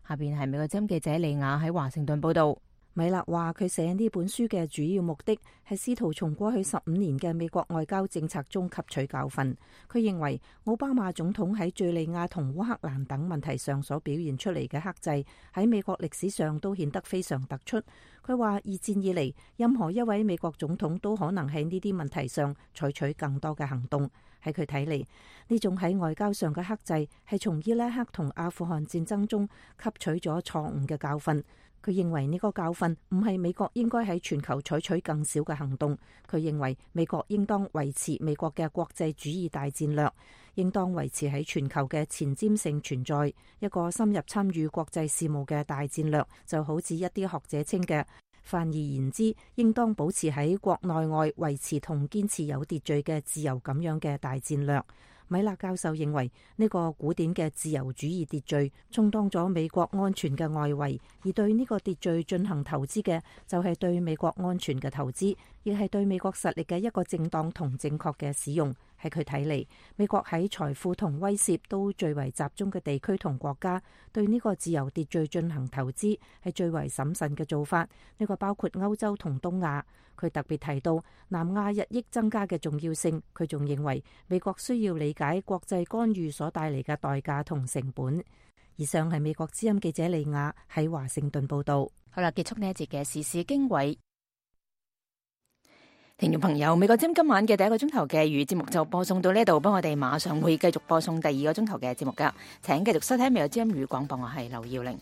下邊係美國之音記者李雅喺華盛頓報道。米勒話佢寫呢本書嘅主要目的係試圖從過去十五年嘅美國外交政策中吸取教訓。佢認為奧巴馬總統喺敘利亞同烏克蘭等問題上所表現出嚟嘅克制，喺美國歷史上都顯得非常突出。佢話二戰以嚟，任何一位美國總統都可能喺呢啲問題上採取更多嘅行動。喺佢睇嚟，呢種喺外交上嘅克制係從伊拉克同阿富汗戰爭中吸取咗錯誤嘅教訓。佢認為呢個教訓唔係美國應該喺全球採取更少嘅行動。佢認為美國應當維持美國嘅國際主義大戰略，應當維持喺全球嘅前瞻性存在。一個深入參與國際事務嘅大戰略，就好似一啲學者稱嘅，泛而言之，應當保持喺國內外維持同堅持有秩序嘅自由咁樣嘅大戰略。米勒教授認為呢個古典嘅自由主義秩序充當咗美國安全嘅外圍，而對呢個秩序進行投資嘅就係對美國安全嘅投資，亦係對美國實力嘅一個正當同正確嘅使用。喺佢睇嚟，美國喺財富同威懾都最為集中嘅地區同國家，對呢個自由秩序進行投資係最為審慎嘅做法。呢個包括歐洲同東亞。佢特別提到南亞日益增加嘅重要性。佢仲認為美國需要理解國際干預所帶嚟嘅代價同成本。以上係美國之音記者利亞喺華盛頓報道。好啦，結束呢一節嘅時事經緯。聽眾朋友，美國之音今晚嘅第一個鐘頭嘅粵語節目就播送到呢度，不過我哋馬上會繼續播送第二個鐘頭嘅節目噶，請繼續收聽美國之音粵語廣播，我係劉耀玲。